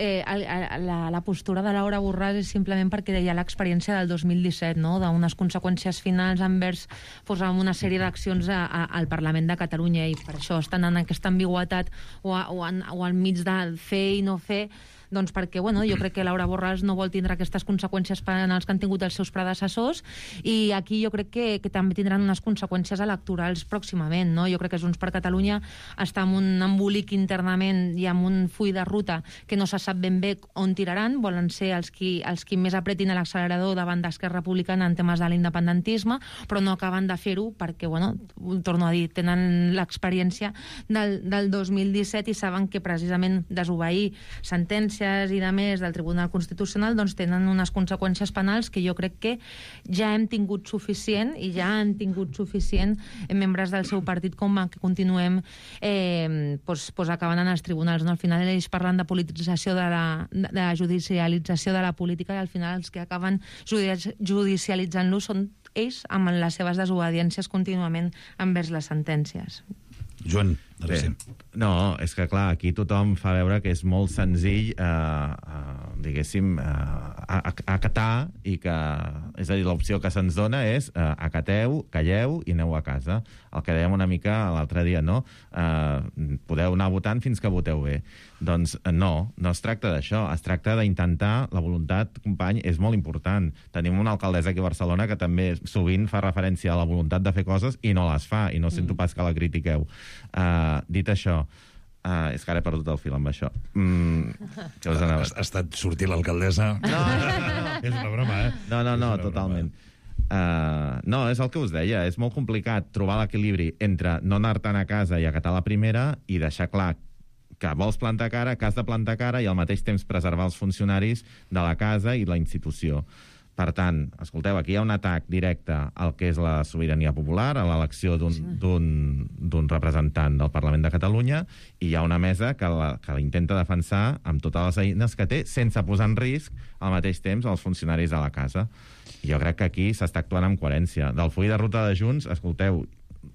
la postura de Laura Borràs és simplement perquè hi ha l'experiència del 2017, no? D'unes conseqüències finals envers amb una sèrie d'accions al Parlament de Catalunya, i per això estan en aquesta ambigüitat o al mig de fer i no fer, doncs perquè, jo crec que Laura Borràs no vol tindre aquestes conseqüències penals que han tingut els seus predecessors, i aquí jo crec que també tindran unes conseqüències electorals pròximament, no? Jo crec que Junts per Catalunya està en un embolic internament i amb un full de ruta que no se sap ben bé on tiraran. Volen ser els qui més apretin l'accelerador davant d'Esquerra Republicana en temes de l'independentisme, però no acaben de fer-ho perquè, torno a dir, tenen l'experiència del 2017 i saben que precisament desobeir sentències i de més del Tribunal Constitucional doncs tenen unes conseqüències penals que jo crec que ja hem tingut suficient, i ja han tingut suficient membres del seu partit com que continuem acabant en els tribunals, no? Al final ells parlen de politització de la judicialització de la política, i al final els que acaben judicialitzant-lo són ells amb les seves desobediències contínuament envers les sentències. Joan, no, és que clar, aquí tothom fa veure que és molt senzill diguéssim acatar, i que, és a dir, l'opció que se'ns dona és acateu, calleu i aneu a casa. El que dèiem una mica l'altre dia, no? Podeu anar votant fins que voteu bé. Doncs no es tracta d'això, es tracta d'intentar, la voluntat, company, és molt important. Tenim una alcaldessa aquí a Barcelona que també sovint fa referència a la voluntat de fer coses i no les fa, i no sento pas que la critiqueu. Dit això, és que ara he perdut el fil amb això. Ha estat sortir l'alcaldessa? No. És una broma, No, totalment. No, és el que us deia, és molt complicat trobar l'equilibri entre no anar-te'n a casa i acatar la primera i deixar clar que vols plantar cara, que has de plantar cara, i al mateix temps preservar els funcionaris de la casa i la institució. Per tant, escolteu, aquí hi ha un atac directe al que és la sobirania popular, a l'elecció d'un representant del Parlament de Catalunya, i hi ha una mesa que l'intenta defensar amb totes les eines que té, sense posar en risc al mateix temps els funcionaris de la casa. I jo crec que aquí s'està actuant amb coherència. Del full de ruta de Junts, escolteu,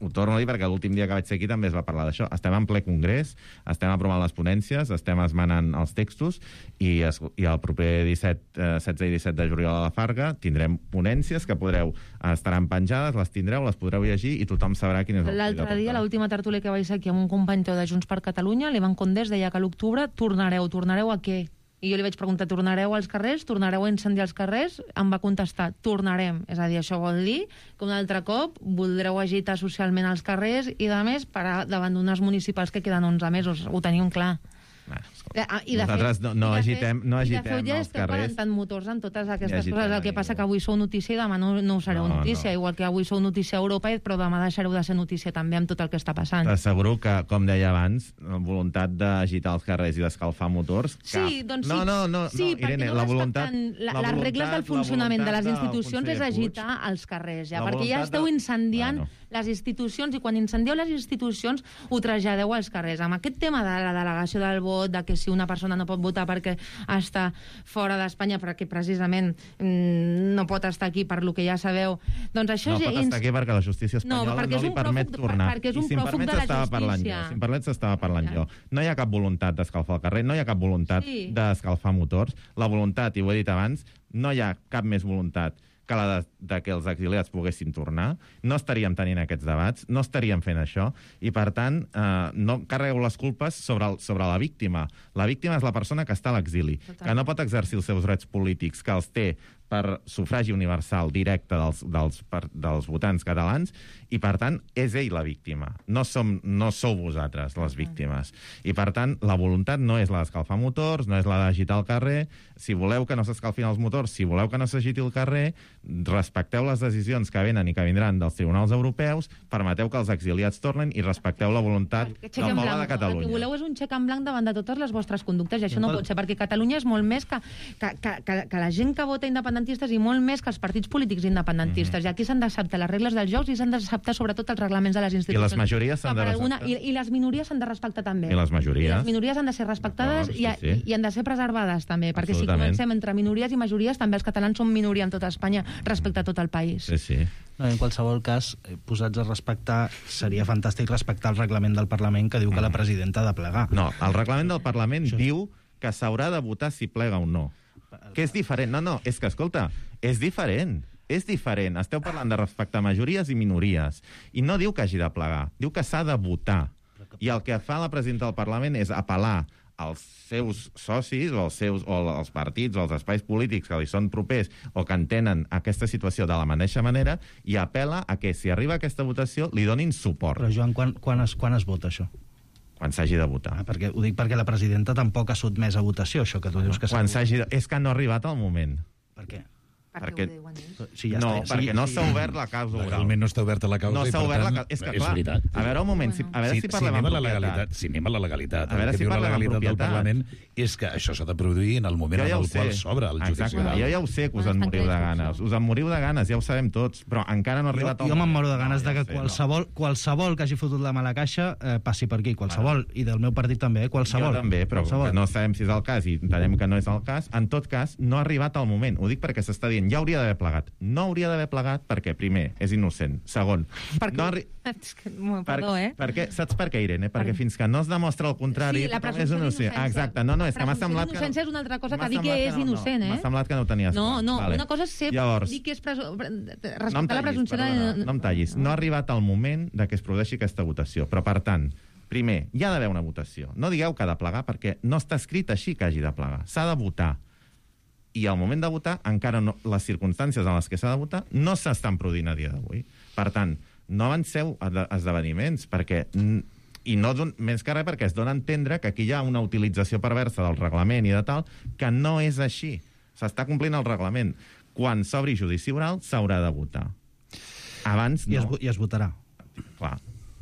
ho torno a dir perquè l'últim dia que vaig ser aquí també es va parlar d'això. Estem en ple congrés, estem aprovant les ponències, estem esmenant els textos, i el proper 16 i 17 de juliol a la Farga tindrem ponències que estaran penjades, les tindreu, les podreu llegir i tothom sabrà quin és el full de ruta. L'altre dia, l'última tertúlia que vaig ser aquí amb un company teu de Junts per Catalunya, l'Ivan Condés deia que a l'octubre tornareu a què? I jo li vaig preguntar, tornareu als carrers? Tornareu a incendiar els carrers? Em va contestar, tornarem. És a dir, això vol dir que un altre cop voldreu agitar socialment als carrers i, a més, davant d'unes municipals que queden 11 mesos. Ho tenim clar. Nosaltres no agitem els carrers. Tant motors en totes aquestes coses. El que passa que avui sou notícia i demà no ho sereu notícia. Igual que avui sou notícia a Europa, però demà deixareu de ser notícia també amb tot el que està passant. T'asseguro que, com deia abans, la voluntat d'agitar els carrers i d'escalfar motors... Sí, doncs sí. No, Irene, la voluntat... Les regles del funcionament de les institucions és agitar els carrers, ja, perquè ja esteu incendiant les institucions, i quan incendieu les institucions ho traslladeu als carrers. Amb aquest tema de la delegació del vot, de que si una persona no pot votar perquè està fora d'Espanya, perquè precisament no pot estar aquí per lo que ja sabeu, doncs això... No pot estar aquí perquè la justícia espanyola no li permet tornar. Perquè és un pròfug de la justícia. Si em permets, estava parlant jo. No hi ha cap voluntat d'escalfar el carrer, no hi ha cap voluntat d'escalfar motors. La voluntat, i ho he dit abans, no hi ha cap més voluntat que la de que els exiliats poguessin tornar, no estaríem tenint aquests debats, no estaríem fent això, i per tant no carregueu les culpes sobre la víctima. La víctima és la persona que està a l'exili, que no pot exercir els seus drets polítics, que els té per sufragi universal directe dels votants catalans, i, per tant, és ell la víctima. No sou vosaltres les víctimes. I, per tant, la voluntat no és la d'escalfar motors, no és la d'agitar el carrer. Si voleu que no s'escalfin els motors, si voleu que no s'agiti el carrer, respecteu les decisions que venen i que vindran dels tribunals europeus, permeteu que els exiliats tornen i respecteu la voluntat del poble de Catalunya. El que voleu és un xec en blanc davant de totes les vostres conductes, i això no pot ser, perquè Catalunya és molt més que la gent que vota independentistes i molt més que els partits polítics independentistes. I aquí s'han d'acceptar les regles dels jocs i s'han d'acceptar sobretot els reglaments de les institucions. I les majories s'han de respectar. I les minories s'han de respectar també. I les majories. I les minories han de ser respectades i han de ser preservades també, perquè si comencem entre minories i majories, també els catalans són minoria en tota Espanya respecte a tot el país. Sí. No, en qualsevol cas, posats a respectar, seria fantàstic respectar el reglament del Parlament que diu que la presidenta ha de plegar. No, el reglament del Parlament diu que s'haurà de votar si plega o no. Que és diferent. No, és que, escolta, és diferent. És diferent. Esteu parlant de respectar majories i minories. I no diu que hagi de plegar. Diu que s'ha de votar. I el que fa la presidenta del Parlament és apel·lar als seus socis o als partits o als espais polítics que li són propers o que entenen aquesta situació de la mateixa manera i apel·la a que, si arriba aquesta votació, li donin suport. Però, Joan, quan es vota això? Quan s'hagi de votar. Ho dic perquè la presidenta tampoc ha sotmès a votació, això que tu dius que és que no ha arribat el moment. Per què? Perquè no s'ha obert la causa oral. Realment no està oberta la causa. No s'ha obert la causa. És que, clar, a veure, un moment, a veure si parlem amb propietat. Si anem a la legalitat, a veure si parlem amb propietat. Del Parlament és que això s'ha de produir en el moment en el qual s'obre el judici oral. Jo ja ho sé, que us en moriu de ganes. Us en moriu de ganes, ja ho sabem tots, però encara no ha arribat el moment. Jo me'n moro de ganes de que qualsevol que hagi fotut la mala caixa passi per aquí, qualsevol, i del meu partit també, qualsevol. Jo també, però no sabem si és el cas i entenem que no és el cas. En tot cas, no ha arribat el moment. Ho dic perquè s'està dient, ja hauria d'haver plegat. No hauria d'haver plegat perquè, primer, és innocent. Segon, perquè saps per què, Irene? Perquè fins que no es demostra el contrari, la presumpció d'innocència. Exacte, no, és que m'ha semblat que... L'innocència és una altra cosa que dir que és innocent, M'ha semblat que no ho tenies clar. No, una cosa és ser... Dir que és respectar la presumpció... No em tallis. No ha arribat el moment que es produeixi aquesta votació, però, per tant, primer, hi ha d'haver una votació. No digueu que ha de plegar, perquè no està escrit així que hagi de plegar. S'ha de votar. I al moment de votar, encara no, les circumstàncies en les que s'ha de votar no s'estan produint a dia d'avui. Per tant, no avanceu esdeveniments, perquè... I no més que res perquè es dona a entendre que aquí hi ha una utilització perversa del reglament i de tal, que no és així. S'està complint el reglament. Quan s'obri judici oral, s'haurà de votar. Abans no. I es votarà. Clar.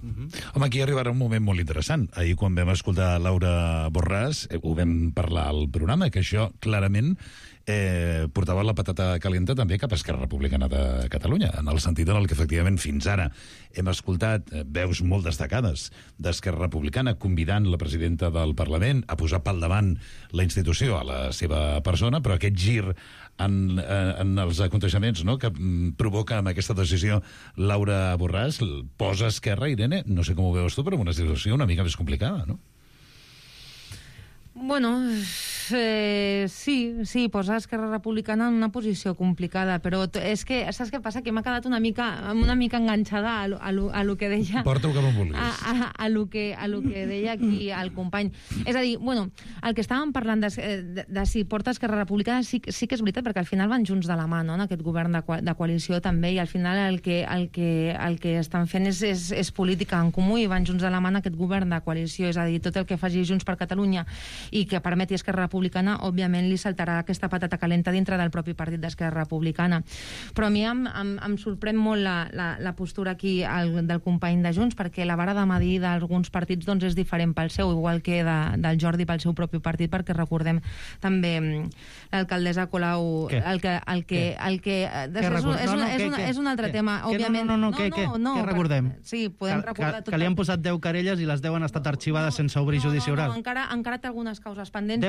Home, aquí arribarà un moment molt interessant. Ahir, quan vam escoltar Laura Borràs, ho vam parlar al programa, que això, clarament, portava la patata calenta també cap a Esquerra Republicana de Catalunya, en el sentit en el que, efectivament, fins ara hem escoltat veus molt destacades d'Esquerra Republicana convidant la presidenta del Parlament a posar pel davant la institució a la seva persona, però aquest gir en els aconteixements, no?, que provoca amb aquesta decisió Laura Borràs posa Esquerra, Irene, no sé com ho veus tu, però una situació una mica més complicada, no? Bueno, sí, posa Esquerra Republicana en una posició complicada, però és que, saps què passa? Que m'ha quedat una mica enganxada a lo que deia... Porta-ho com vulguis. A lo que deia aquí el company. És a dir, bueno, el que estàvem parlant de si porta Esquerra Republicana sí que és veritat, perquè al final van junts de la mà, no?, en aquest govern de coalició també, i al final el que estan fent és política en comú i van junts de la mà en aquest govern de coalició, és a dir, tot el que faci Junts per Catalunya i que permeti Esquerra Republicana, òbviament li saltarà aquesta patata calenta dintre del propi partit d'Esquerra Republicana. Però a mi em sorprèn molt la postura aquí del company de Junts, perquè la vara de medir d'alguns partits doncs, és diferent pel seu, igual que del Jordi pel seu propi partit, perquè recordem també l'alcaldessa Colau... És un altre tema, òbviament. Què recordem? Sí, podem recordar tot. Que li han posat 10 querelles i les 10 han estat arxivades sense obrir judici oral. Encara té algunes causes pendents.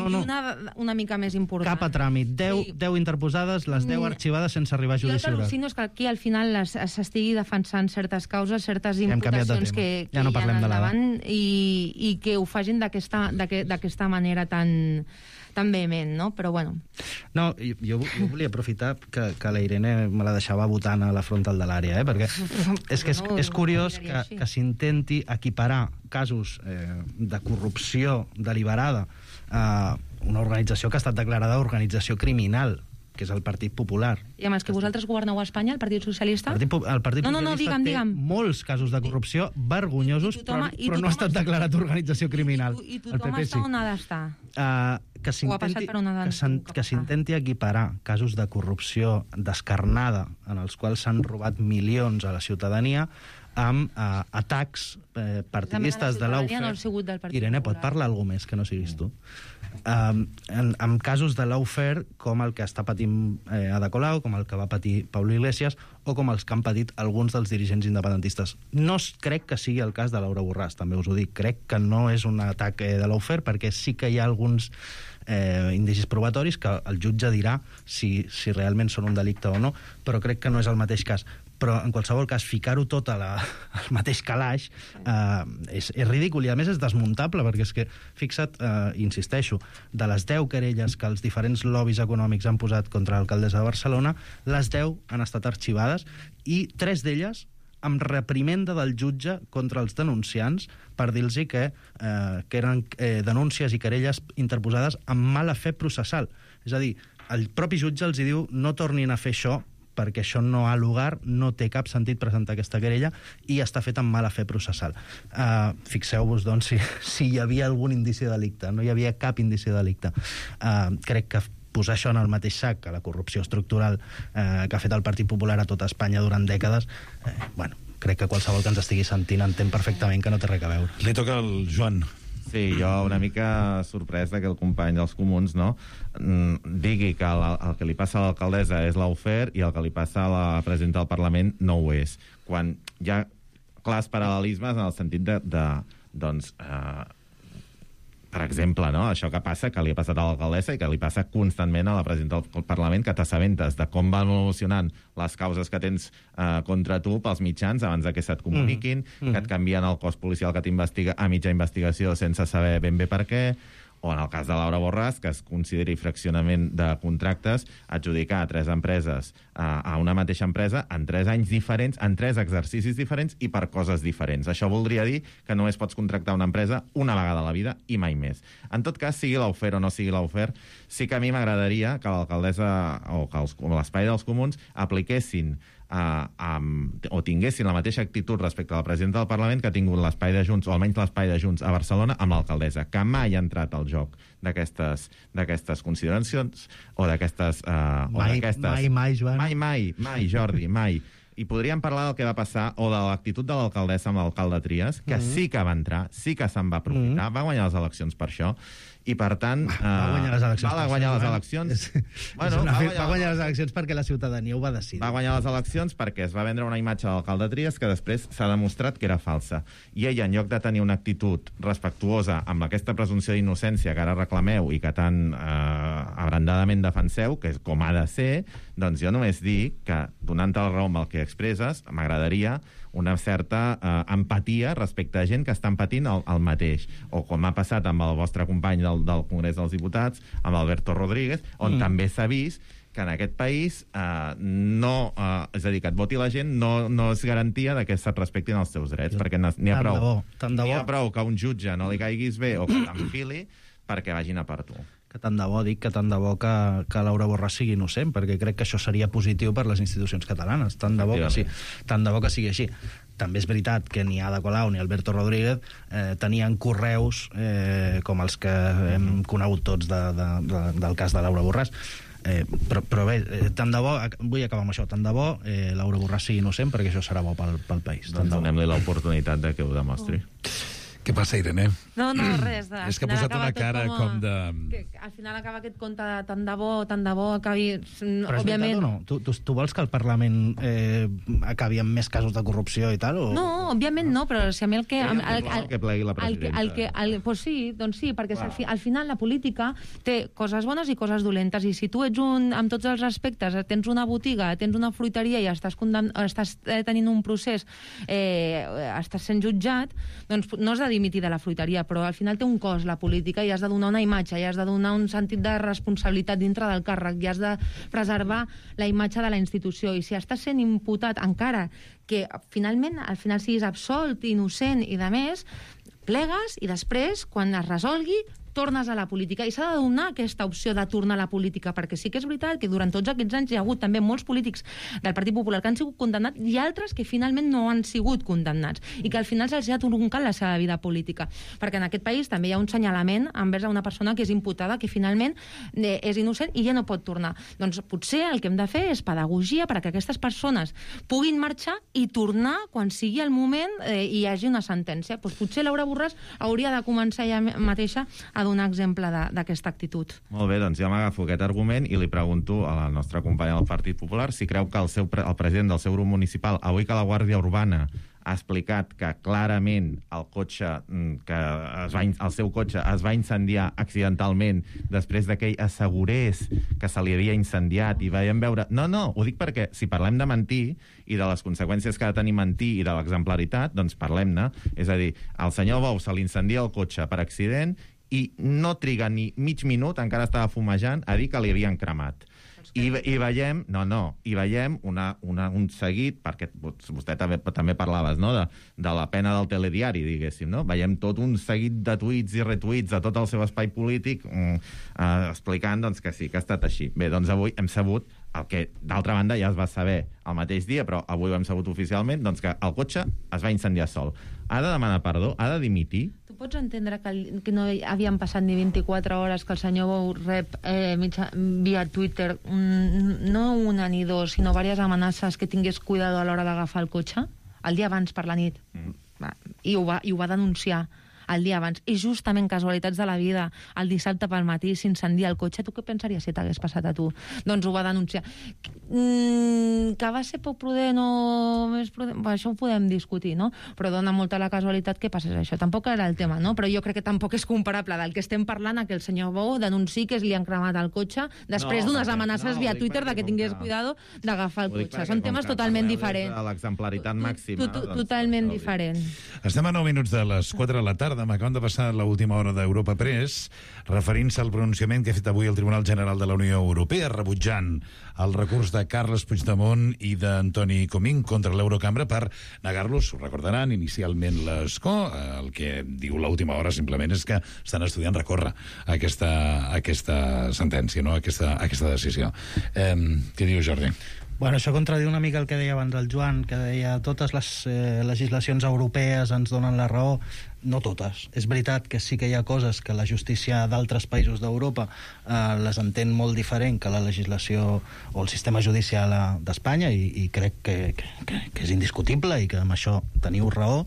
una mica més important. Cap a tràmit. 10 interposades, les 10 arxivades sense arribar a judici oral. Jo el que al·lucino és que aquí al final s'estigui defensant certes causes, certes imputacions que hi ha endavant i que ho facin d'aquesta manera tan vehement, no? Però bueno. No, jo volia aprofitar que la Irene me la deixava votant a la frontal de l'àrea, perquè és que és curiós que s'intenti equiparar casos de corrupció deliberada a una organització que ha estat declarada organització criminal, que és el Partit Popular. I amb els que vosaltres governeu a Espanya, el Partit Socialista? El Partit Socialista té molts casos de corrupció vergonyosos, però no ha estat declarat organització criminal. I tothom està on ha d'estar? Que s'intenti equiparar casos de corrupció descarnada en els quals s'han robat milions a la ciutadania amb atacs partidistes de l'Aufer. Irene, pot parlar alguna més que no siguis tu? Amb casos de l'Aufer com el que està patint Ada Colau, com el que va patir Pablo Iglesias o com els que han patit alguns dels dirigents independentistes. No crec que sigui el cas de Laura Borràs, també us ho dic. Crec que no és un atac de l'Aufer, perquè sí que hi ha alguns indicis probatoris que el jutge dirà si realment són un delicte o no, però crec que no és el mateix cas. Però, en qualsevol cas, ficar-ho tot al mateix calaix és ridícul, i a més és desmuntable, perquè és que, fixa't, insisteixo, de les 10 querelles que els diferents lobbies econòmics han posat contra l'alcaldessa de Barcelona, les 10 han estat arxivades, i 3 d'elles amb reprimenda del jutge contra els denunciants per dir-los que eren denúncies i querelles interposades amb mala fe processal. És a dir, el propi jutge els diu no tornin a fer això, perquè això no ha lugar, no té cap sentit presentar aquesta querella i està fet amb mala fe processal. Fixeu-vos, doncs, si hi havia algun indici de delicte. No hi havia cap indici de delicte. Crec que posar això en el mateix sac que la corrupció estructural que ha fet el Partit Popular a tota Espanya durant dècades, crec que qualsevol que ens estigui sentint entén perfectament que no té res a veure. Li toca al Joan. Sí, jo una mica sorprès que el company dels Comuns digui que el que li passa a l'alcaldessa és l'Aufer i el que li passa a la presidenta del Parlament no ho és. Quan hi ha clars paral·lelismes en el sentit doncs, per exemple, no? Això que passa, que li ha passat a l'alcaldessa i que li passa constantment a la presidenta del Parlament, que t'assabentes de com van evolucionant les causes que tens contra tu pels mitjans abans que se't comuniquin, que et canvien el cos policial que t'investiga a mitja investigació sense saber ben bé per què, o en el cas de Laura Borràs, que es consideri fraccionament de contractes, adjudicar a 3 empreses a una mateixa empresa en 3 anys diferents, en 3 exercicis diferents i per coses diferents. Això voldria dir que només pots contractar una empresa una vegada a la vida i mai més. En tot cas, sigui l'Aufer o no sigui l'Aufer, sí que a mi m'agradaria que l'alcaldessa o l'espai dels Comuns apliquessin o tinguessin la mateixa actitud respecte a la presidenta del Parlament que ha tingut l'espai de Junts, o almenys l'espai de Junts a Barcelona, amb l'alcaldessa, que mai ha entrat al joc d'aquestes consideracions o d'aquestes... Mai, Joan. Mai, Jordi, mai. I podríem parlar del que va passar, o de l'actitud de l'alcaldessa amb l'alcalde Trias, que sí que va entrar, sí que se'n va aprofitar, va guanyar les eleccions per això, i per tant... Va guanyar les eleccions. Va guanyar les eleccions. Va guanyar les eleccions perquè la ciutadania ho va decidir. Va guanyar les eleccions perquè es va vendre una imatge de l'alcalde Trias que després s'ha demostrat que era falsa. I ella, en lloc de tenir una actitud respectuosa amb aquesta presumpció d'innocència que ara reclameu i que tan abrandadament defenseu, que és com ha de ser, doncs jo només dic que, donant-te la raó amb el que expresses, m'agradaria una certa empatia respecte a gent que estan patint el mateix. O com ha passat amb el vostre company del Congrés dels Diputats, amb Alberto Rodríguez, on també s'ha vist que en aquest país és a dir, que et voti la gent no és garantia que se't respectin els teus drets, perquè n'hi ha prou que un jutge no li caiguis bé o que t'enfili perquè vagin a per tu. Que tant de bo, dic que tant de bo que Laura Borràs sigui innocent, perquè crec que això seria positiu per les institucions catalanes. Tant de bo que sí, tant de bo que sigui així. També és veritat que ni Ada Colau ni Alberto Rodríguez tenien correus com els que hem conegut tots del cas de Laura Borràs. Però bé, tant de bo, vull acabar amb això, tant de bo Laura Borràs sigui innocent, perquè això serà bo pel país. Doncs donem-li l'oportunitat de que ho demostri. Què passa, Irene? No, res. És que ha posat una cara com de... Al final acaba aquest conte de tant de bo, acabi... Però és veritat o no? Tu vols que el Parlament acabi amb més casos de corrupció i tal? O... No, òbviament no, però si a mi el que... que plegui la presidenta. Pues sí, doncs sí, perquè al final la política té coses bones i coses dolentes, i si tu ets amb tots els aspectes, tens una botiga, tens una fruiteria i estàs tenint un procés, estàs sent jutjat, doncs no has de dimitir de la fruiteria, però al final té un cost la política i has de donar una imatge, i has de donar un sentit de responsabilitat dintre del càrrec, i has de preservar la imatge de la institució, i si estàs sent imputat, encara que al final siguis absolt, innocent i de més, plegues i després, quan es resolgui, tornes a la política, i s'ha de donar aquesta opció de tornar a la política, perquè sí que és veritat que durant tots aquests anys hi ha hagut també molts polítics del Partit Popular que han sigut condemnats i altres que finalment no han sigut condemnats i que al final se'ls ha truncat la seva vida política, perquè en aquest país també hi ha un senyalament envers a una persona que és imputada, que finalment és innocent i ja no pot tornar. Doncs potser el que hem de fer és pedagogia perquè aquestes persones puguin marxar i tornar quan sigui el moment i hi hagi una sentència. Doncs potser Laura Borràs hauria de començar ja mateixa a donar exemple d'aquesta actitud. Molt bé, doncs ja m'agafo aquest argument i li pregunto a la nostra companya del Partit Popular si creu que el president del seu grup municipal, avui que la Guàrdia Urbana ha explicat que clarament el seu cotxe es va incendiar accidentalment després que ell assegurés que se li havia incendiat i veiem veure... No, ho dic perquè si parlem de mentir i de les conseqüències que ha de tenir mentir i de l'exemplaritat, doncs parlem-ne. És a dir, al senyor Bou se li incendia el cotxe per accident i no triga ni mig minut, encara estava fumejant, a dir que li havien cremat. I veiem un seguit, perquè vostè també parlaves, no?, de la pena del telediari, diguéssim, no? Veiem tot un seguit de tuits i retuits de tot el seu espai polític explicant doncs, que sí, que ha estat així. Bé, doncs avui hem sabut el que, d'altra banda, ja es va saber el mateix dia, però avui ho hem sabut oficialment, doncs que el cotxe es va incendiar sol. Ha de demanar perdó? Ha de dimitir? Tu pots entendre que no havien passat ni 24 hores que el senyor Bou rep via Twitter no una ni dos, sinó diverses amenaces que tingués cuidado a l'hora d'agafar el cotxe? El dia abans, per la nit. I ho va denunciar el dia abans. I justament casualitats de la vida, el dissabte pel matí s'incendia el cotxe. Tu què pensaries si t'hagués passat a tu? Doncs ho va denunciar. Que va ser poc prudent o més prudent? Això ho podem discutir, no? Però dona molta la casualitat que passés això. Tampoc era el tema, no? Però jo crec que tampoc és comparable del que estem parlant a que el senyor Bou denunciï que li han cremat el cotxe després d'unes amenaces via Twitter de que tingués cuidado d'agafar el cotxe. Són temes totalment diferents. L'exemplaritat màxima. Totalment diferent. Estem a 9 minuts de les 4 de la tarda. M'acaben de passar l'última hora d'Europa Press, referint-se al pronunciament que ha fet avui el Tribunal General de la Unió Europea, rebutjant el recurs de Carles Puigdemont i d'Antoni Comín contra l'Eurocambra per negar-los. Ho recordaran, inicialment l'ESCO. El que diu l'última hora simplement és que estan estudiant recórrer aquesta sentència, no? aquesta decisió. Què diu Jordi? Bueno, això contradiu una mica el que deia abans el Joan, que deia totes les legislacions europees ens donen la raó. No totes. És veritat que sí que hi ha coses que la justícia d'altres països d'Europa les entén molt diferent que la legislació o el sistema judicial d'Espanya i crec que és indiscutible i que amb això teniu raó,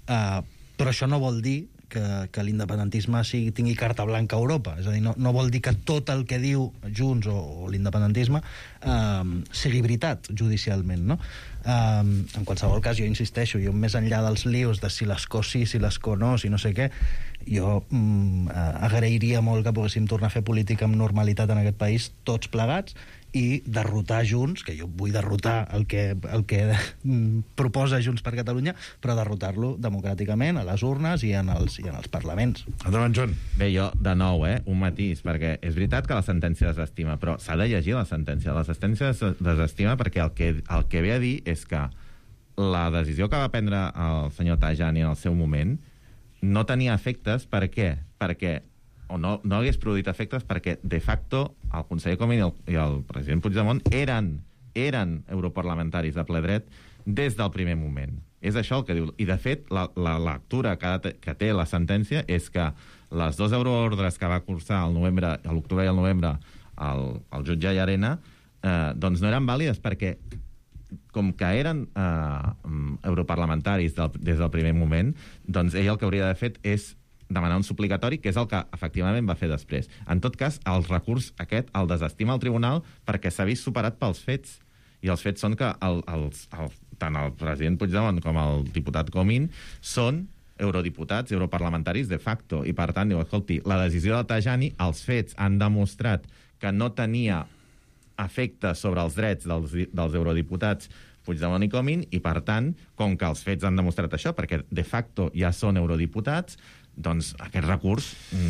però això no vol dir que l'independentisme tingui carta blanca a Europa. És a dir, no vol dir que tot el que diu Junts o l'independentisme sigui veritat judicialment, no? En qualsevol cas, jo insisteixo, jo més enllà dels lios de si l'escó sí, si l'escó no, si no sé què, jo agrairia molt que poguéssim tornar a fer política amb normalitat en aquest país, tots plegats, i derrotar Junts, que jo vull derrotar el que proposa Junts per Catalunya, però derrotar-lo democràticament a les urnes i en els parlaments. Endavant, Joan. Bé, jo, de nou, un matís, perquè és veritat que la sentència desestima, però s'ha de llegir la sentència. La sentència desestima perquè el que ve a dir és que la decisió que va prendre el senyor Tajani en el seu moment no tenia efectes. Per què? Perquè o no hagués produït efectes perquè, de facto, el conseller Comín i el president Puigdemont eren europarlamentaris de ple dret des del primer moment. És això el que diu. I, de fet, la lectura que té la sentència és que les 2 euroordres que va cursar a l'octubre i al novembre el jutge Llarena doncs no eren vàlides perquè com que eren europarlamentaris des del primer moment, doncs ell el que hauria d'haver fet és demanar un suplicatori, que és el que efectivament va fer després. En tot cas, el recurs aquest el desestima el tribunal perquè s'ha vist superat pels fets. I els fets són que tant el president Puigdemont com el diputat Comín són eurodiputats, europarlamentaris de facto, i per tant, diu, escolti, la decisió de Tajani, els fets han demostrat que no tenia efecte sobre els drets dels eurodiputats Puigdemont i Comín, i per tant, com que els fets han demostrat això, perquè de facto ja són eurodiputats, doncs aquest recurs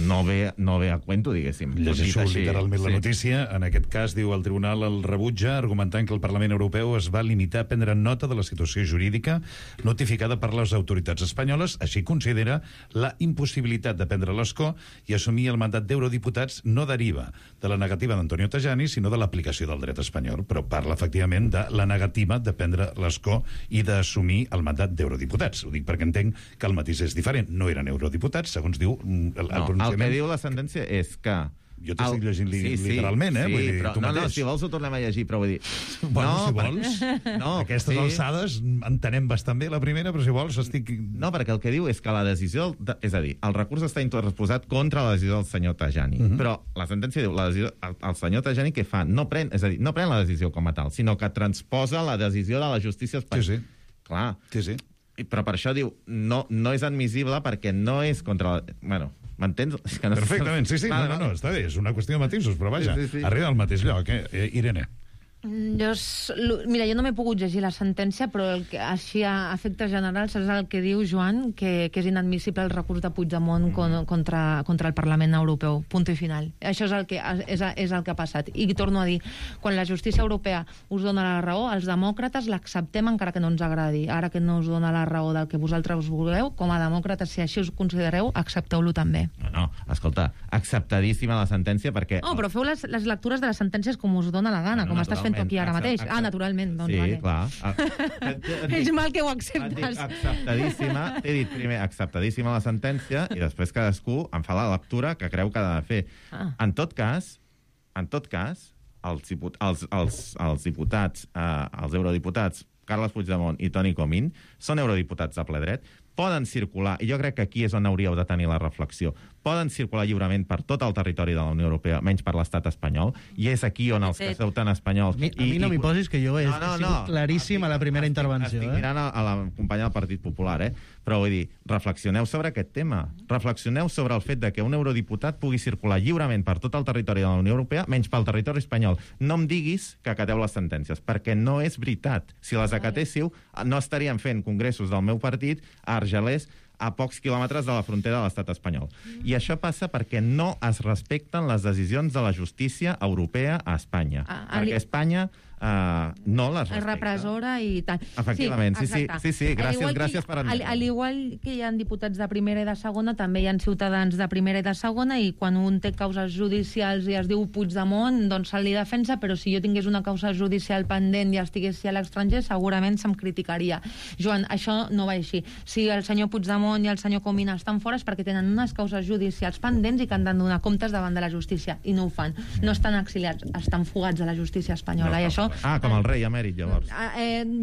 no ve a cuento, diguéssim. Llegeixo literalment la notícia. En aquest cas, diu, el tribunal el rebutja, argumentant que el Parlament Europeu es va limitar a prendre nota de la situació jurídica notificada per les autoritats espanyoles. Així considera la impossibilitat de prendre l'escó i assumir el mandat d'eurodiputats no deriva de la negativa d'Antonio Tajani, sinó de l'aplicació del dret espanyol. Però parla, efectivament, de la negativa de prendre l'escó i d'assumir el mandat d'eurodiputats. Ho dic perquè entenc que el matís és diferent. No eren eurodiputats, segons diu el pronunciament. El que diu la sentència és que... Jo t'estic llegint literalment, Sí, vull dir, però, tu mateix. si vols ho tornem a llegir, però vull dir... Bueno, si vols. Aquestes alçades entenem bastant bé la primera, però si vols estic... No, perquè el que diu és que la decisió... És a dir, el recurs està interposat contra la decisió del senyor Tajani. Però la sentència diu, el senyor Tajani què fa? No pren la decisió com a tal, sinó que transposa la decisió de la justícia espanyola. Sí. Clar. Sí. Però per això diu, no és admissible perquè no és contra la... Bueno, m'entens? Perfectament, sí. No, està bé, és una qüestió de matisos, però vaja, arriba al mateix lloc, Irene. Mira, jo no m'he pogut llegir la sentència, però així a efectes generals és el que diu Joan, que és inadmissible el recurs de Puigdemont contra el Parlament Europeu. Punt i final. Això és el que ha passat. I torno a dir, quan la justícia europea us dona la raó, els demòcrates l'acceptem encara que no ens agradi. Ara que no us dona la raó del que vosaltres us voleu, com a demòcrates, si així us considereu, accepteu-lo també. No, escolta, acceptadíssima la sentència perquè... No, però feu les lectures de les sentències com us dona la gana, com estàs fent tu aquí ara mateix. Naturalment. Doncs, sí, vale. Clar. És mal que ho acceptes. Acceptadíssima, t'he dit primer acceptadíssima la sentència i després cadascú en fa la lectura que creu que ha de fer. En tot cas, els diputats, els eurodiputats Carles Puigdemont i Toni Comín són eurodiputats de ple dret, poden circular, i jo crec que aquí és on hauríeu de tenir la reflexió, poden circular lliurement per tot el territori de la Unió Europea, menys per l'estat espanyol, i és aquí on els que sou tan espanyols... A mi no m'hi posis, que jo he sigut claríssim a la primera intervenció. Estic mirant a la companya del Partit Popular, però vull dir, reflexioneu sobre aquest tema. Reflexioneu sobre el fet de que un eurodiputat pugui circular lliurement per tot el territori de la Unió Europea, menys pel territori espanyol. No em diguis que acateu les sentències, perquè no és veritat. Si les acatéssiu, no estaríem fent congressos del meu partit a Argelers, a pocs quilòmetres de la frontera de l'estat espanyol. I això passa perquè no es respecten les decisions de la justícia europea a Espanya. Perquè Espanya no les respecta. És repressora i tal. Efectivament, sí. Gràcies per admetre. Al igual que hi ha diputats de primera i de segona, també hi ha ciutadans de primera i de segona, i quan un té causes judicials i es diu Puigdemont, doncs se li defensa, però si jo tingués una causa judicial pendent i estiguessi a l'estranger, segurament se'm criticaria. Joan, això no va així. Si el senyor Puigdemont i el senyor Comín estan fora és perquè tenen unes causes judicials pendents i que han de donar comptes davant de la justícia, i no ho fan. No estan exiliats, estan fugats de la justícia espanyola, i això... com el rei emèrit, llavors.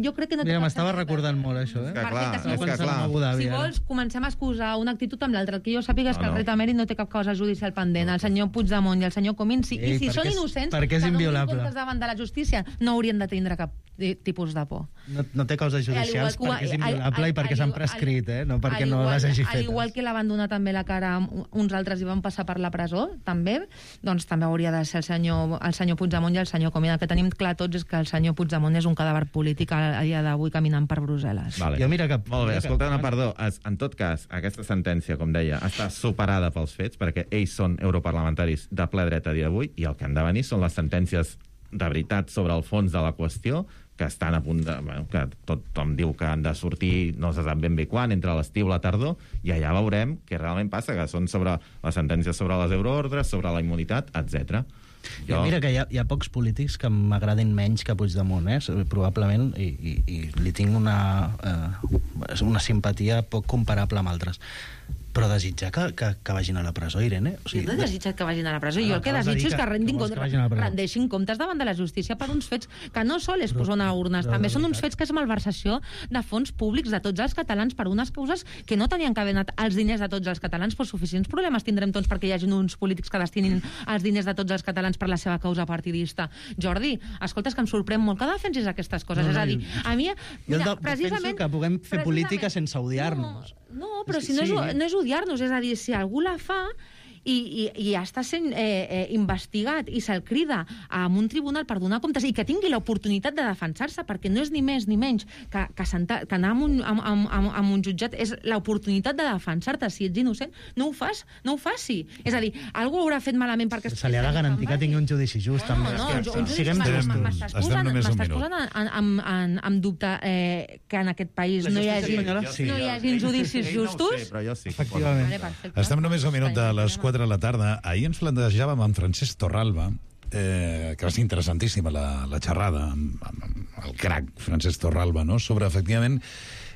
Jo crec que no té... Mira, m'estava recordant molt, això, És que clar. Si vols, comencem a excusar una actitud amb l'altra. El que jo sàpiga és que el rei emèrit no té cap causa judicial pendent. El senyor Puigdemont i el senyor Comín, i si són innocents, perquè és inviolable. comptes davant de la justícia, no haurien de tindre cap tipus de por. No té causes judicials perquè és inviolable i perquè s'han prescrit, no perquè no les hagi fetes. Al igual que la van donar també la cara uns altres i van passar per la presó, també, doncs també hauria de ser el senyor Puigdemont i el senyor Comín. El que tenim clar tots és que el senyor Puigdemont és un cadàver polític a dia d'avui caminant per Brussel·les. Vale. Molt bé, escolta, perdó. En tot cas, aquesta sentència, com deia, està superada pels fets, perquè ells són europarlamentaris de ple dret a dia d'avui, i el que han de venir són les sentències de veritat sobre el fons de la qüestió, que estan a punt de... que tothom diu que han de sortir, no se sap ben bé quan, entre l'estiu i la tardor, i allà veurem què realment passa, que són sobre les sentències sobre les euroordres, sobre la immunitat, etc. Mira que hi ha pocs polítics que m'agradin menys que Puigdemont, probablement, i li tinc una simpatia poc comparable amb altres. Però desitjar que vagin a la presó, Irene? O sigui, jo no he desitjat que vagin a la presó. Jo el que desitjo és que rendeixin comptes davant de la justícia per uns fets que no sols posen a urnes, també són uns fets que és malversació de fons públics de tots els catalans per unes causes que no tenien que haver anat els diners de tots els catalans, però suficients problemes tindrem tots perquè hi hagi uns polítics que destinin els diners de tots els catalans per la seva causa partidista. Jordi, escolta, és que em sorprèn molt que defensis aquestes coses. És a dir, a mi... Jo defenso que puguem fer política sense odiar-nos. No, però si no és odiar-nos, és a dir, si algú la fa i està sent investigat i se'l crida a un tribunal per donar comptes i que tingui l'oportunitat de defensar-se, perquè no és ni més ni menys que anar a un jutjat, és l'oportunitat de defensar-te. Si ets innocent, no ho faci. És a dir, algú haurà fet malament perquè... Se li ha de garantir que tingui un judici just. M'estàs posant en dubte que en aquest país no hi hagi judicis justos? Però jo sí. Efectivament. Estem només a un minut de les 4 de la tarda. Ahir ens plantejàvem amb Francesc Torralba, que va ser interessantíssima la xerrada amb el crac Francesc Torralba, no? Sobre, efectivament,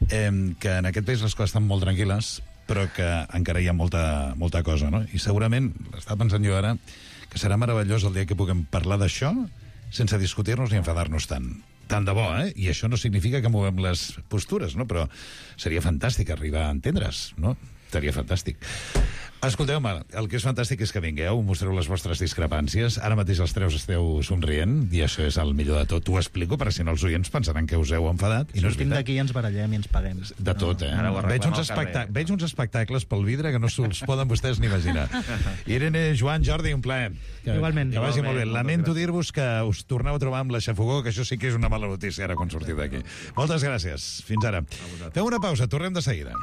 que en aquest país les coses estan molt tranquil·les, però que encara hi ha molta cosa, no? I segurament, estava pensant jo ara, que serà meravellós el dia que puguem parlar d'això sense discutir-nos ni enfadar-nos tant. Tant de bo, I això no significa que movem les postures, no? Però seria fantàstic arribar a entendre's, no? Seria fantàstic. Escolteu-me, el que és fantàstic és que vingueu, mostreu les vostres discrepàncies. Ara mateix els tres esteu somrient, i això és el millor de tot. Ho explico, perquè si no els oients pensaran que us heu enfadat. I no és sortim d'aquí i ens barallem i ens paguem. De tot, Veig uns espectacles pel vidre que no se'ls poden vostès ni imaginar. Irene, Joan, Jordi, un plaer. Igualment. Que vagi molt bé. Lamento dir-vos que us torneu a trobar amb la xafogó, que això sí que és una mala notícia ara quan sortiu d'aquí. Moltes gràcies. Fins ara. Fem una pausa, tornem de seguida.